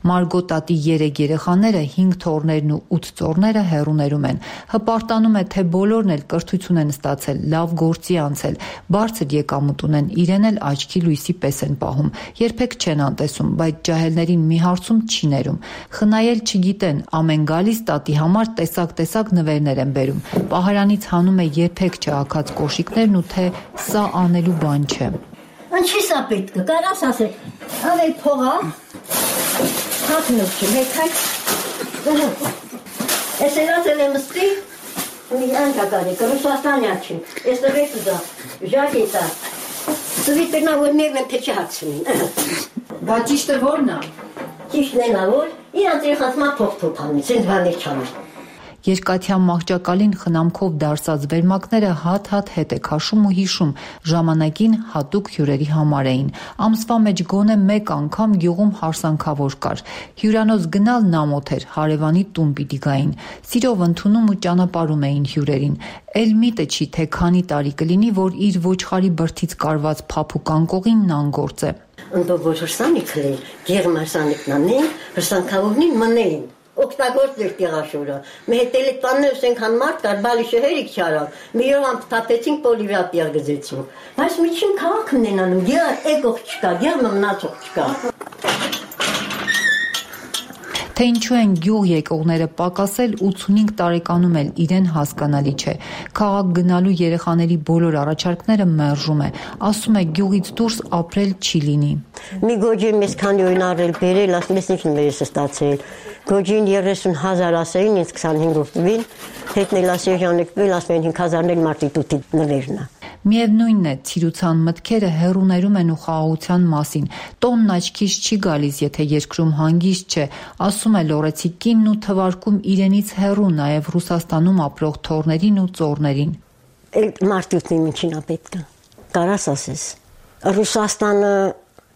Մարգո տատի 3 երեխաները, 5 թոռներն ու 8 ծոռները հեռուներում են։ Հպարտանում է, թե բոլորն էլ կրթություն են ստացել, լավ գործի անցել, բարձր եկամուտ ունեն, իրեն էլ աչքի լույսի պես են պահում։ Երբեք չեն անտեսում, բայց ջահելներին մի հարցում չի ներում։ Խնայել չգիտեն, ամեն գալիս տատի համար տեսակ նվերներ են բերում։ Պահարանից հանում է երբեք չհագած կոշիկներն ու թե սա անելու բան չէ։ Ինչի սա պետք է, կարաս ասել, ավել փողա, հատնուք չեմ, հետայք, ես էլացել եմ ստի, մի անկակար եկը, Ռուսաստանյա չեմ, ես տվեք ուզա, ժակ էտա, ծվի տրնա, որ մերն եմ թե չի հացնին։ Բա ճիշտը որն է։ Ճիշտն է նա, որ իրանց երեխացմա փող թոփանից, են բաներ չանր։ Երկաթյան մահճակալին խնամքով դարսած վերմակները հատ-հատ հետ է քաշում ու հիշում, ժամանակին հատուկ հյուրերի համար էին։ Ամսվա մեջ գոնե մեկ անգամ գյուղում հարսանքավոր կար։ Հյուրանոց գնալն ամոթ էր, հարևանի տուն պիտի գային։ Սիրով ընդունում ու ճանապարհում էին հյուրերին։ Էլ միտը չի, թե քանի տարի կլինի, որ իր ոչխարի բրդից կարված փափուկ անկողին նանգործ է։ Ընդով որ հրսանիք լեն, գերմարսանիքն անեն, հրսանքավորնին մնեին։ Օգտագործ էր տեղաշորը։ Մի հետ էլ տաններ սենքան մարդ կար, բալիշը հերիք չարավ։ Մի օր ամփթաթեցինք պոլիվրատիա գզեցինք։ Բայց միջին քաղաքն են անում, գեր եկող չկա, գեր մնացող չկա։ Թե ինչու են գյուղ եկողները պակասել 85 տարեկանում էլ իրեն հասկանալի չէ։ Քաղաք գնալու երեխաների բոլոր առաջարկները մերժում է, ասում է գյուղից դուրս ապրել չի լինի։ Մի գոջի մեզ քանի օրին առել բերել, ասում ես ինչ մեր ստացել։ Գոջին 30,000 ասեին, ինձ 25 տվին, հետնել ասեժանեկվել, ասում են 5,000-ն էլ մարտի տուտի նվերն է։ Միևնույնն է, ցիրուցան մտքերը հեռուներում են ու խաղաղության մասին։ Տոնն աչքից չի գալիս, եթե երկրում հանգիստ չէ, ասում է լորեցի կինն ու թվարկում իրենից հեռու նաև Ռուսաստանում ապրող թոռներին ու ծոռներին։ Մարտուտնի ինչին է պետք է։ Կարաս ասես։ Ռուսաստանը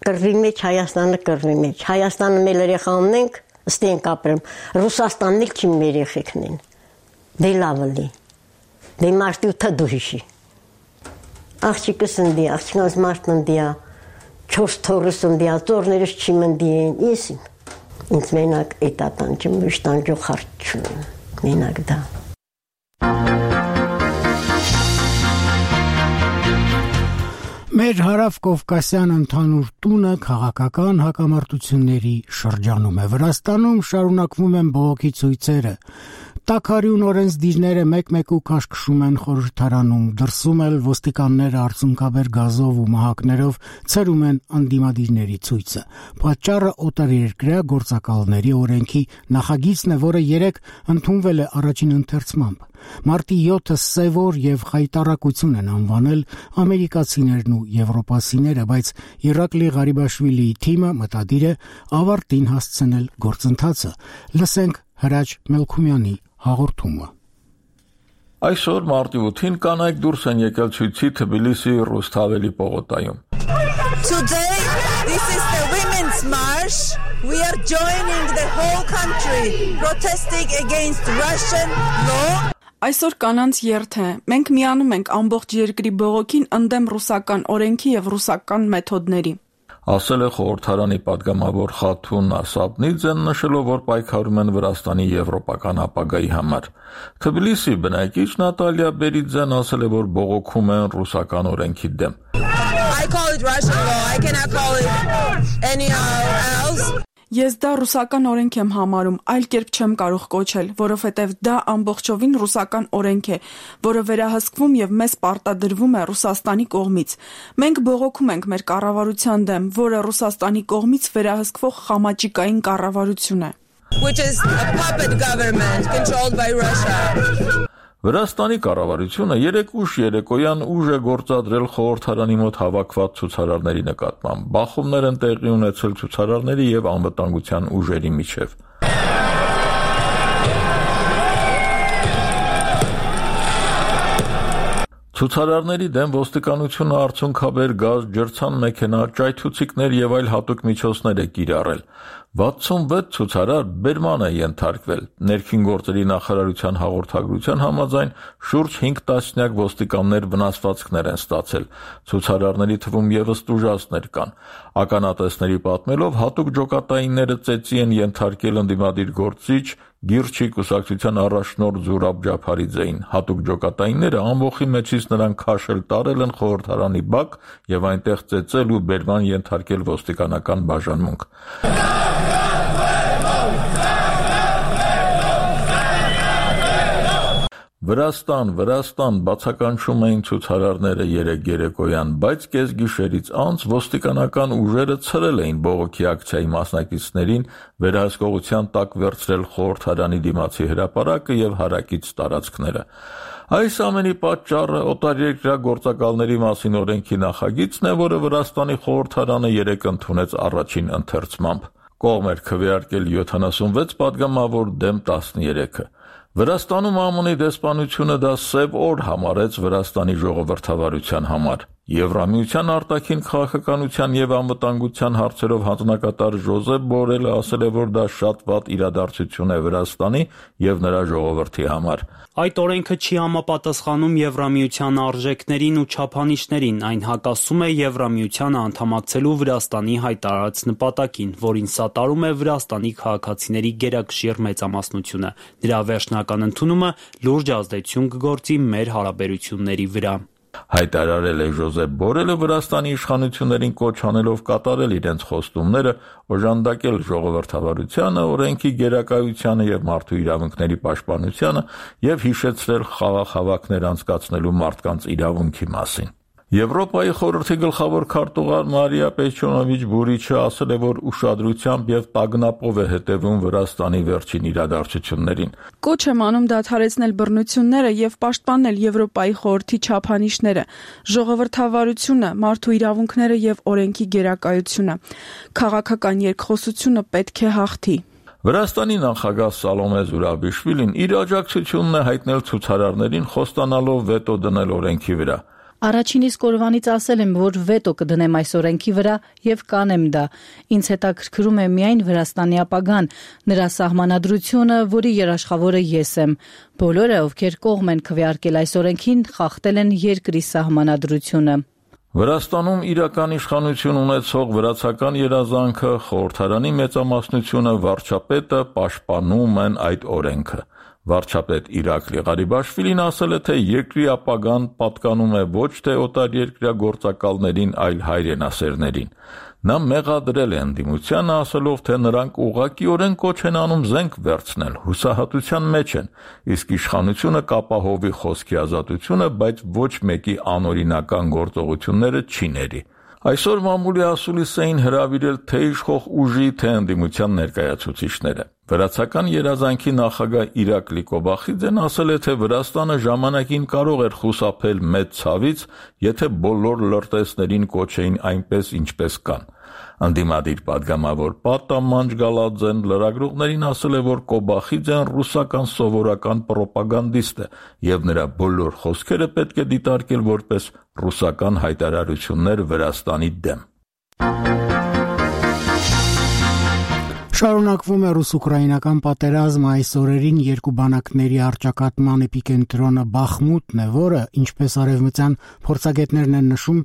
կռվի մեջ, Հայաստանը կռվի մեջ։ Հայաստանը մեր երեխա ունենք, ստենք ապրեմ։ Ռուսաստանն էլ չի մեր երեխեքն են։ Դե լավ էլի։ Դե մարտուտը դու հիշի։ Աղջիկս ընդի, աղջիկս մարդն ընդի, 4 թորս ընդի, ծորներս չի մնդի են, ես ինձ մենակ էտ ատանջը մշտանջող հարդ չունեմ, մենակ դա։ Մեր հարավ-կովկասյան ընդհանուր տունը քաղաքական հակամարտությունների շրջանում է։ Վրաստանում շարունակվում են բողոքի ցույցերը։ Տաքարյուն օրենսդիրները մեկ-մեկ ու քաշքշում են խորհրդարանում, դրսում էլ ոստիկանները արցունքաբեր գազով ու մահակներով ցրում են անդիմադիրների ցույցը։ Պատճառը օտարերկրյա գործակալների օրենքի նախագիծն է, որը 3 ընդունվել է առաջին ընթերցմամբ։ Մարտի 7-ը սևոր եւ խայտառակություն են անվանել ամերիկացիներն ու եվրոպացիները, բայց Իրակլի Ղարիբաշվիլիի թիմը մտադիր է ավարտին հասցնել գործընթացը։ Լսենք Հրաչ Մելքումյանի հաղորդումը։ Այսօր մարտի 8-ին կանայք դուրս են եկել ցույցի Թբիլիսի Ռուսթավելի պողոտայում։ Today this is the women's march. We are joining the whole country protesting against Russian law. Այսօր կանանց երթ է։ Մենք միանում ենք ամբողջ երկրի բողոքին ընդդեմ ռուսական օրենքի եւ ռուսական մեթոդների։ Ասել է խորհրդարանի падգամավոր Խաթուն Ասաբնիձեն, նշելով, որ պայքարում են Վրաստանի եվրոպական ապագայի համար։ Թբիլիսի բնակիչ Նատալիա Բերիձեն ասել է, որ բողոքում են ռուսական օրենքի դեմ։ I call it Russian law. I cannot call it anyhow else. Ես դա ռուսական օրենք եմ համարում, այլ կերպ չեմ կարող կոչել, որովհետև դա ամբողջովին ռուսական օրենք է, որը վերահսկվում եւ մեզ պարտադրվում է Ռուսաստանի կողմից։ Մենք բողոքում ենք մեր կառավարության դեմ, որը Ռուսաստանի կողմից վերահսկվող խամաճիկային կառավարություն է։ Which is a puppet government controlled by Russia. Վրաստանի կառավարությունը 3 ուշ երեկոյան ուժ է գործադրել խորհրդարանի մոտ հավաքված ցուցարարների նկատմամբ։ Բախումներ են տեղի ունեցել ցուցարարների եւ անվտանգության ուժերի միջև։ Ցուցարարների դեմ ոստիկանությունը արցունքաբեր գազ, ջրցան մեքենա, ճայթուցիկներ եւ այլ հատուկ միջոցներ է կիրառել։ 66 ցուցարար բերման է ենթարկվել։ Ներքին գործերի նախարարության հաղորդագրության համաձայն շուրջ 5 տասնյակ ոստիկաններ վնասվածքներ են ստացել։ Ցուցարարների թվում եւս տուժածներ կան։ Ականատեսների պատմելով հատուկ ջոկատայինները ծեծի են ենթարկել ընդդիմադիր գործիչ Գիրչի կուսակցության առաջնորդ Զուրաբ Ջափարիձեին։ Հատուկ ջոկատայինները ամբողջի մեջից նրան քաշել տարել են խորհրդարանի բակ եւ այնտեղ ծեծել ու բերման ենթարկել ոստիկանական բաժանմունք։ Վրաստան, բացականչում էին ցուցարարները երեկոյան, բայց կեսգիշերից անց ոստիկանական ուժերը ցրել էին բողոքի ակցիայի մասնակիցներին, վերահսկողության տակ վերցրել խորհրդարանի դիմացի հրապարակը եւ հարակից տարածքները։ Այս ամենի պատճառը օտարերկրյա գործակալների մասին օրենքի նախագիծն է, որը Վրաստանի խորհրդարանը 3 ընդունեց առաջին ընթերցմամբ։ Կողմ էր քվեարկել 76 падգամավոր դեմ 13-ը։ Վրաստանում ԱՄՆ-ի դեսպանությունը դա սև օր համարեց Վրաստանի ժողովրդավարության համար։ Եվրամիության արտաքին քաղաքականության եւ անվտանգության հարցերով հանձնակատար Ժոզեփ Բորելը ասել է, որ դա շատ վատ իրադարձություն է Վրաստանի եւ նրա ժողովրդի համար։ Այդ օրենքը չի համապատասխանում Եվրամիության արժեքներին ու չափանիշներին, այն հակասում է Եվրամիությանը անդամակցելու Վրաստանի հայտարարած նպատակին, որին սատարում է Վրաստանի քաղաքացիների գերակշիռ մեծամասնությունը։ Դրա վերջնական ընդունումը լուրջ ազդեցություն կգործի մեր հարաբերությունների վրա։ Հայտարարել է Ժոզեփ Բորելը, Վրաստանի իշխանություններին կոչ անելով կատարել իրենց խոստումները, օժանդակել ժողովրդավարությանը, օրենքի գերակայությանը եւ մարդու իրավունքների պաշտպանությանը եւ հիշեցրել խաղաղ հավաքներ անցկացնելու մարդկանց իրավունքի մասին։ Եվրոպայի խորհրդի գլխավոր քարտուղար Մարիա Պեչոնովիչ Բուրիչը ասել է, որ ուշադրությամբ եւ տագնապով է հետևում Վրաստանի վերջին իրադարձություններին։ Կոչ եմ անում դադարեցնել բռնությունները եւ պաշտպանել Եվրոպայի խորհրդի չափանիշները, ժողովրդավարությունը, մարդու իրավունքները եւ օրենքի գերակայությունը։ Քաղաքական երկխոսությունը պետք է հաղթի։ Վրաստանի նախագահ Սալոմե Զուրաբիշվիլին իր աջակցությունն է հայտնել ցուցարարներին խոստանալով վետո դնել օրենքի վրա։ Առաջին իսկ օրվանից ասել եմ, որ վետո կդնեմ այս օրենքի վրա եւ կանեմ դա։ Ինձ հետաքրքրում է միայն Վրաստանի ապագան, նրա սահմանադրությունը, որի երաշխավորը ես եմ։ Բոլորը, ովքեր կողմ են քվեարկել այս օրենքին, խախտել են երկրի սահմանադրությունը։ Վրաստանում իրական իշխանություն ունեցող վրացական երազանքը, խորհրդարանի մեծամասնությունը, վարչապետը պաշտպանում են այդ օրենքը։ Վարչապետ Իրակլի Ղարիբաշվիլին ասել է, թե երկրի ապագան պատկանում է ոչ թե օտարերկրյա գործակալներին, այլ հայրենասերներին։ Նա մեղադրել է ընդդիմությանը, ասելով, թե նրանք ուղղակիորեն կոչ են անում զենք վերցնել, հուսահատության մեջ են, իսկ իշխանությունը կապահովի խոսքի ազատությունը, բայց ոչ մեկի անօրինական գործողությունները չի ների։ Այսօր մամուլի ասուլիս էին հրավիրել թե իշխող ուժի, թե ընդդիմության ներկայացուցիչները։ Վրացական երազանքի նախագահ Իրակլի Կոբախիձեն ասել է, թե Վրաստանը ժամանակին կարող էր խուսափել մեծ ցավից, եթե բոլոր լրտեսներին կոչեին այնպես, ինչպես կան։ Անդիմադիր պատգամավոր Պատամանջ Գալաձեն լրագրողներին ասել է, որ Կոբախիձեն ռուսական սովորական պրոպագանդիստ է եւ նրա բոլոր խոսքերը պետք է դիտարկել որպես ռուսական հայտարարություններ Վրաստանի դեմ։ Շարունակվում է ռուս-ուկրաինական պատերազմը, այս օրերին երկու բանակների առճակատման էպիկենտրոնը Բախմուտն է, որը, ինչպես արևմտյան փորձագետներն են նշում,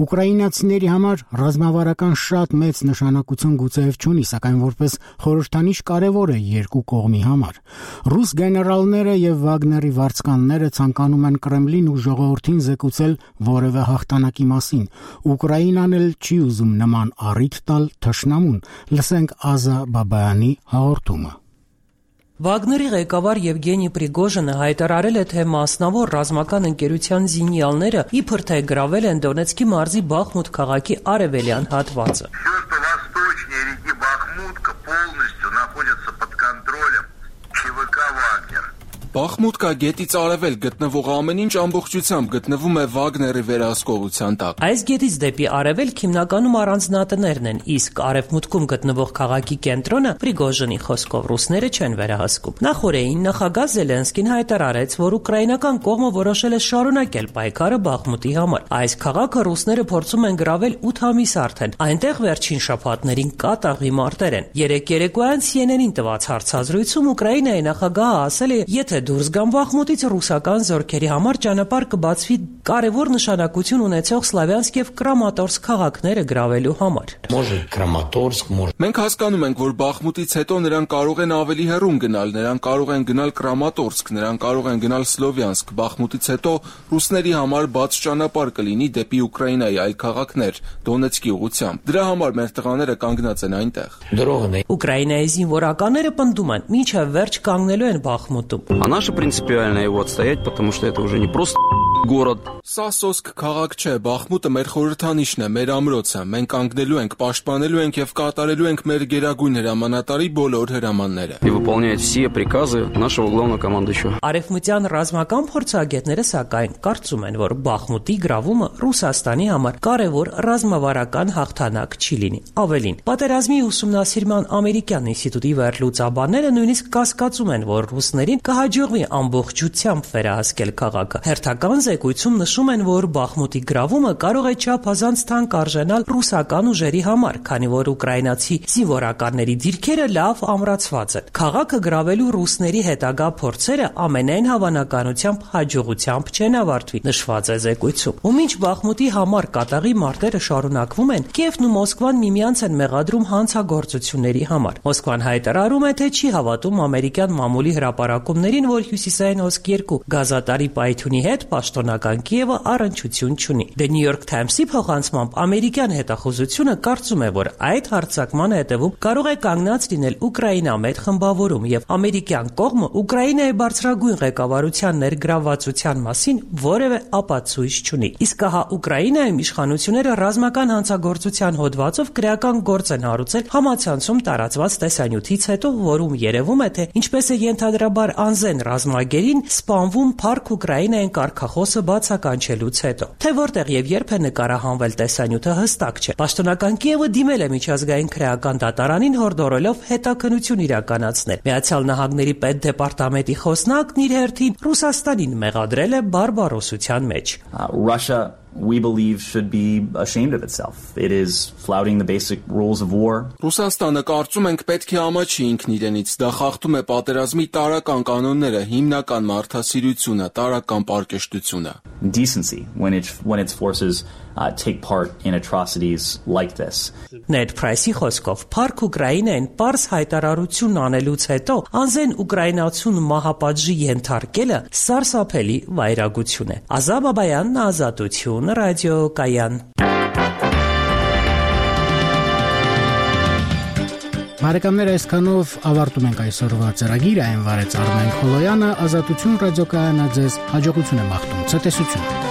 ուկրաինացիների համար ռազմավարական շատ մեծ նշանակություն գուցեև չունի, սակայն որպես խորհրդանիշ կարևոր է երկու կողմի համար։ Ռուս գեներալները եւ Վագների վարձկանները ցանկանում են Կրեմլին ու ժողովրդին զեկուցել որևէ հաղթանակի մասին։ Ուկրաինան էլ չի ուզում նման առիթ տալ թշնամուն։ Լսենք Ազա Բաբայանի հաղորդումը։ Վագների ղեկավար Եվգենի Պրիգոժինը հայտարարել է, թե մասնավոր ռազմական ընկերության զինյալները իբր թե գրավել են Դոնեցկի մարզի Բախմուտ քաղաքի արևելյան հատվածը։ Բախմուտկա գետից արևել գտնվող ամեն ինչ ամբողջությամբ գտնվում է Վագների վերահսկողության տակ։ Այս գետից դեպի արևելք հիմնականում առանձնատներն են, իսկ արևմուտքում գտնվող քաղաքի կենտրոնը Պրիգոժինի խոսքով ռուսները չեն վերահսկում։ Նախորդին նախագահ Զելենսկին հայտարարեց, որ ուկրաինական կողմը որոշել է շարունակել պայքարը Բախմուտի համար։ Այս քաղաքը ռուսները փորձում են գրավել 8 ամիս արդեն։ Այնտեղ վերջին շաբաթներին կատաղի մարտեր են։ Երեկ երեկոյան CNN-ին տված հարցազրույցում Ուկրաինայի նախագահը ասել է, եթե դուրս գան Բախմուտից ռուսական զորքերի համար ճանապարհ կբացվի կարևոր նշանակություն ունեցող Սլավյանսկ եւ Կրամատորսկ քաղաքները գրավելու համար։ Մենք հասկանում ենք, որ Բախմուտից հետո նրանք կարող են ավելի հեռուն գնալ, նրանք կարող են գնալ Կրամատորսկ, նրանք կարող են գնալ Սլովյանսկ։ Բախմուտից հետո ռուսների համար բաց ճանապարհ կլինի դեպի Ուկրաինայի այլ քաղաքներ, Դոնեցկի ուղղությամբ։ Դրա համար մեր տղաները կանգնած են այնտեղ։ Ուկրաինայի զինվորականները պնդում են, մինչև վերջ կանգնելու են Բախմուտում։ Наша принципиально его отстоять, потому что это уже не просто город. Սա սոսկ քաղաք չէ, Բախմուտը մեր խորհրդանիշն է, մեր ամրոցը։ Մենք կանգնելու ենք, պաշտպանելու ենք եւ կատարելու ենք մեր գերագույն հրամանատարի բոլոր հրամանները։ И выполнять все приказы нашего главного командующего. Արևմտյան ռազմական փորձագետները սակայն կարծում են, որ Բախմուտի գրավումը Ռուսաստանի համար կարևոր ռազմավարական հաղթանակ չի լինի։ Ավելին, պատերազմի ուսումնասիրման ամերիկյան ինստիտուտի վերլուծաբանները նույնիսկ կասկածում են, որ ռուսներին կհաջողվի ամբողջությամբ վերահսկել քաղաքը։ Հերթական զեկույցում նշում են, որ Բախմուտի գրավումը կարող է չափազանց թանկ արժենալ ռուսական ուժերի համար, քանի որ ուկրաինացի զինվորականների դիրքերը լավ ամրացված են։ Քաղաքը գրավելու ռուսների հետագա փորձերը ամենայն հավանականությամբ հաջողությամբ չեն ավարտվի, նշված է զեկույցում։ Ու մինչ Բախմուտի համար կատաղի մարտերը շարունակվում են, Կիևն ու Մոսկվան միմյանց են մեղադրում հանցագործությունների համար։ Մոսկվան հայտարարում է, թե չի հավատում ամերիկյան մամուլի հրապարակումներին, որ Հյուսիսային Օսկ 2 գազատարի պայթյունի հետ պաշտոնական Կիևը առնչություն չունի։ The New York Times-ի փոխանցմամբ ամերիկյան հետախուզությունը կարծում է, որ այդ հարձակմանը հետևում կարող է կանգնած լինել Ուկրաինամետ խմբավորում եւ ամերիկյան կողմը Ուկրաինայի բարձրագույն ղեկավարության ներգրավվածության մասին որևէ ապացույց չունի։ Իսկ հա Ուկրաինայում իշխանությունները ռազմական հանցագործության հոդվածով քրեական գործ են հարուցել համացանցում տարածված տեսանյութից հետո, որում երևում է, թե ինչպես է ենթադրաբար անզեն ռազմագերին սպանվում Փարք Ուկրաինային կարգախոս գործը բացականչելուց հետո։ Թե որտեղ եւ երբ է նկարահանվել տեսանյութը հստակ չէ։ Պաշտոնական Կիևը դիմել է միջազգային քրեական դատարանին հորդորելով հետաքննություն իրականացնել։ Միացյալ Նահանգների պետդեպարտամենտի խոսնակն իր հերթին Ռուսաստանին մեղադրել է բարբարոսության մեջ։ Russia we believe should be ashamed of itself. It is flouting the basic rules of war. Ռուսաստանը կարծում ենք պետք է ամաչի ինքն իրենից, դա խախտում է պատերազմի տարրական կանոնները, հիմնական մարդասիրությունը, տարրական պարկեշտությունը. Decency when its forces take part in atrocities like this. Ned Price-ի խոսքով Փարք Ուկրաինային պարզ հայտարարություն անելուց հետո անզեն ուկրաինացուն մահապատժի ենթարկելը սարսափելի վայրագություն է։ Ազատ Բաբայանն, Ազատություն, Ռադիո Կայան։ Բարեկամներ, այսքանով ավարտում ենք այսօրվա ծրագիրը, այն վարեց Արմեն Խոլոյանը, Ազատություն ռադիոկայանը ձեզ հաջողություն է մաղթում, ցտեսություն։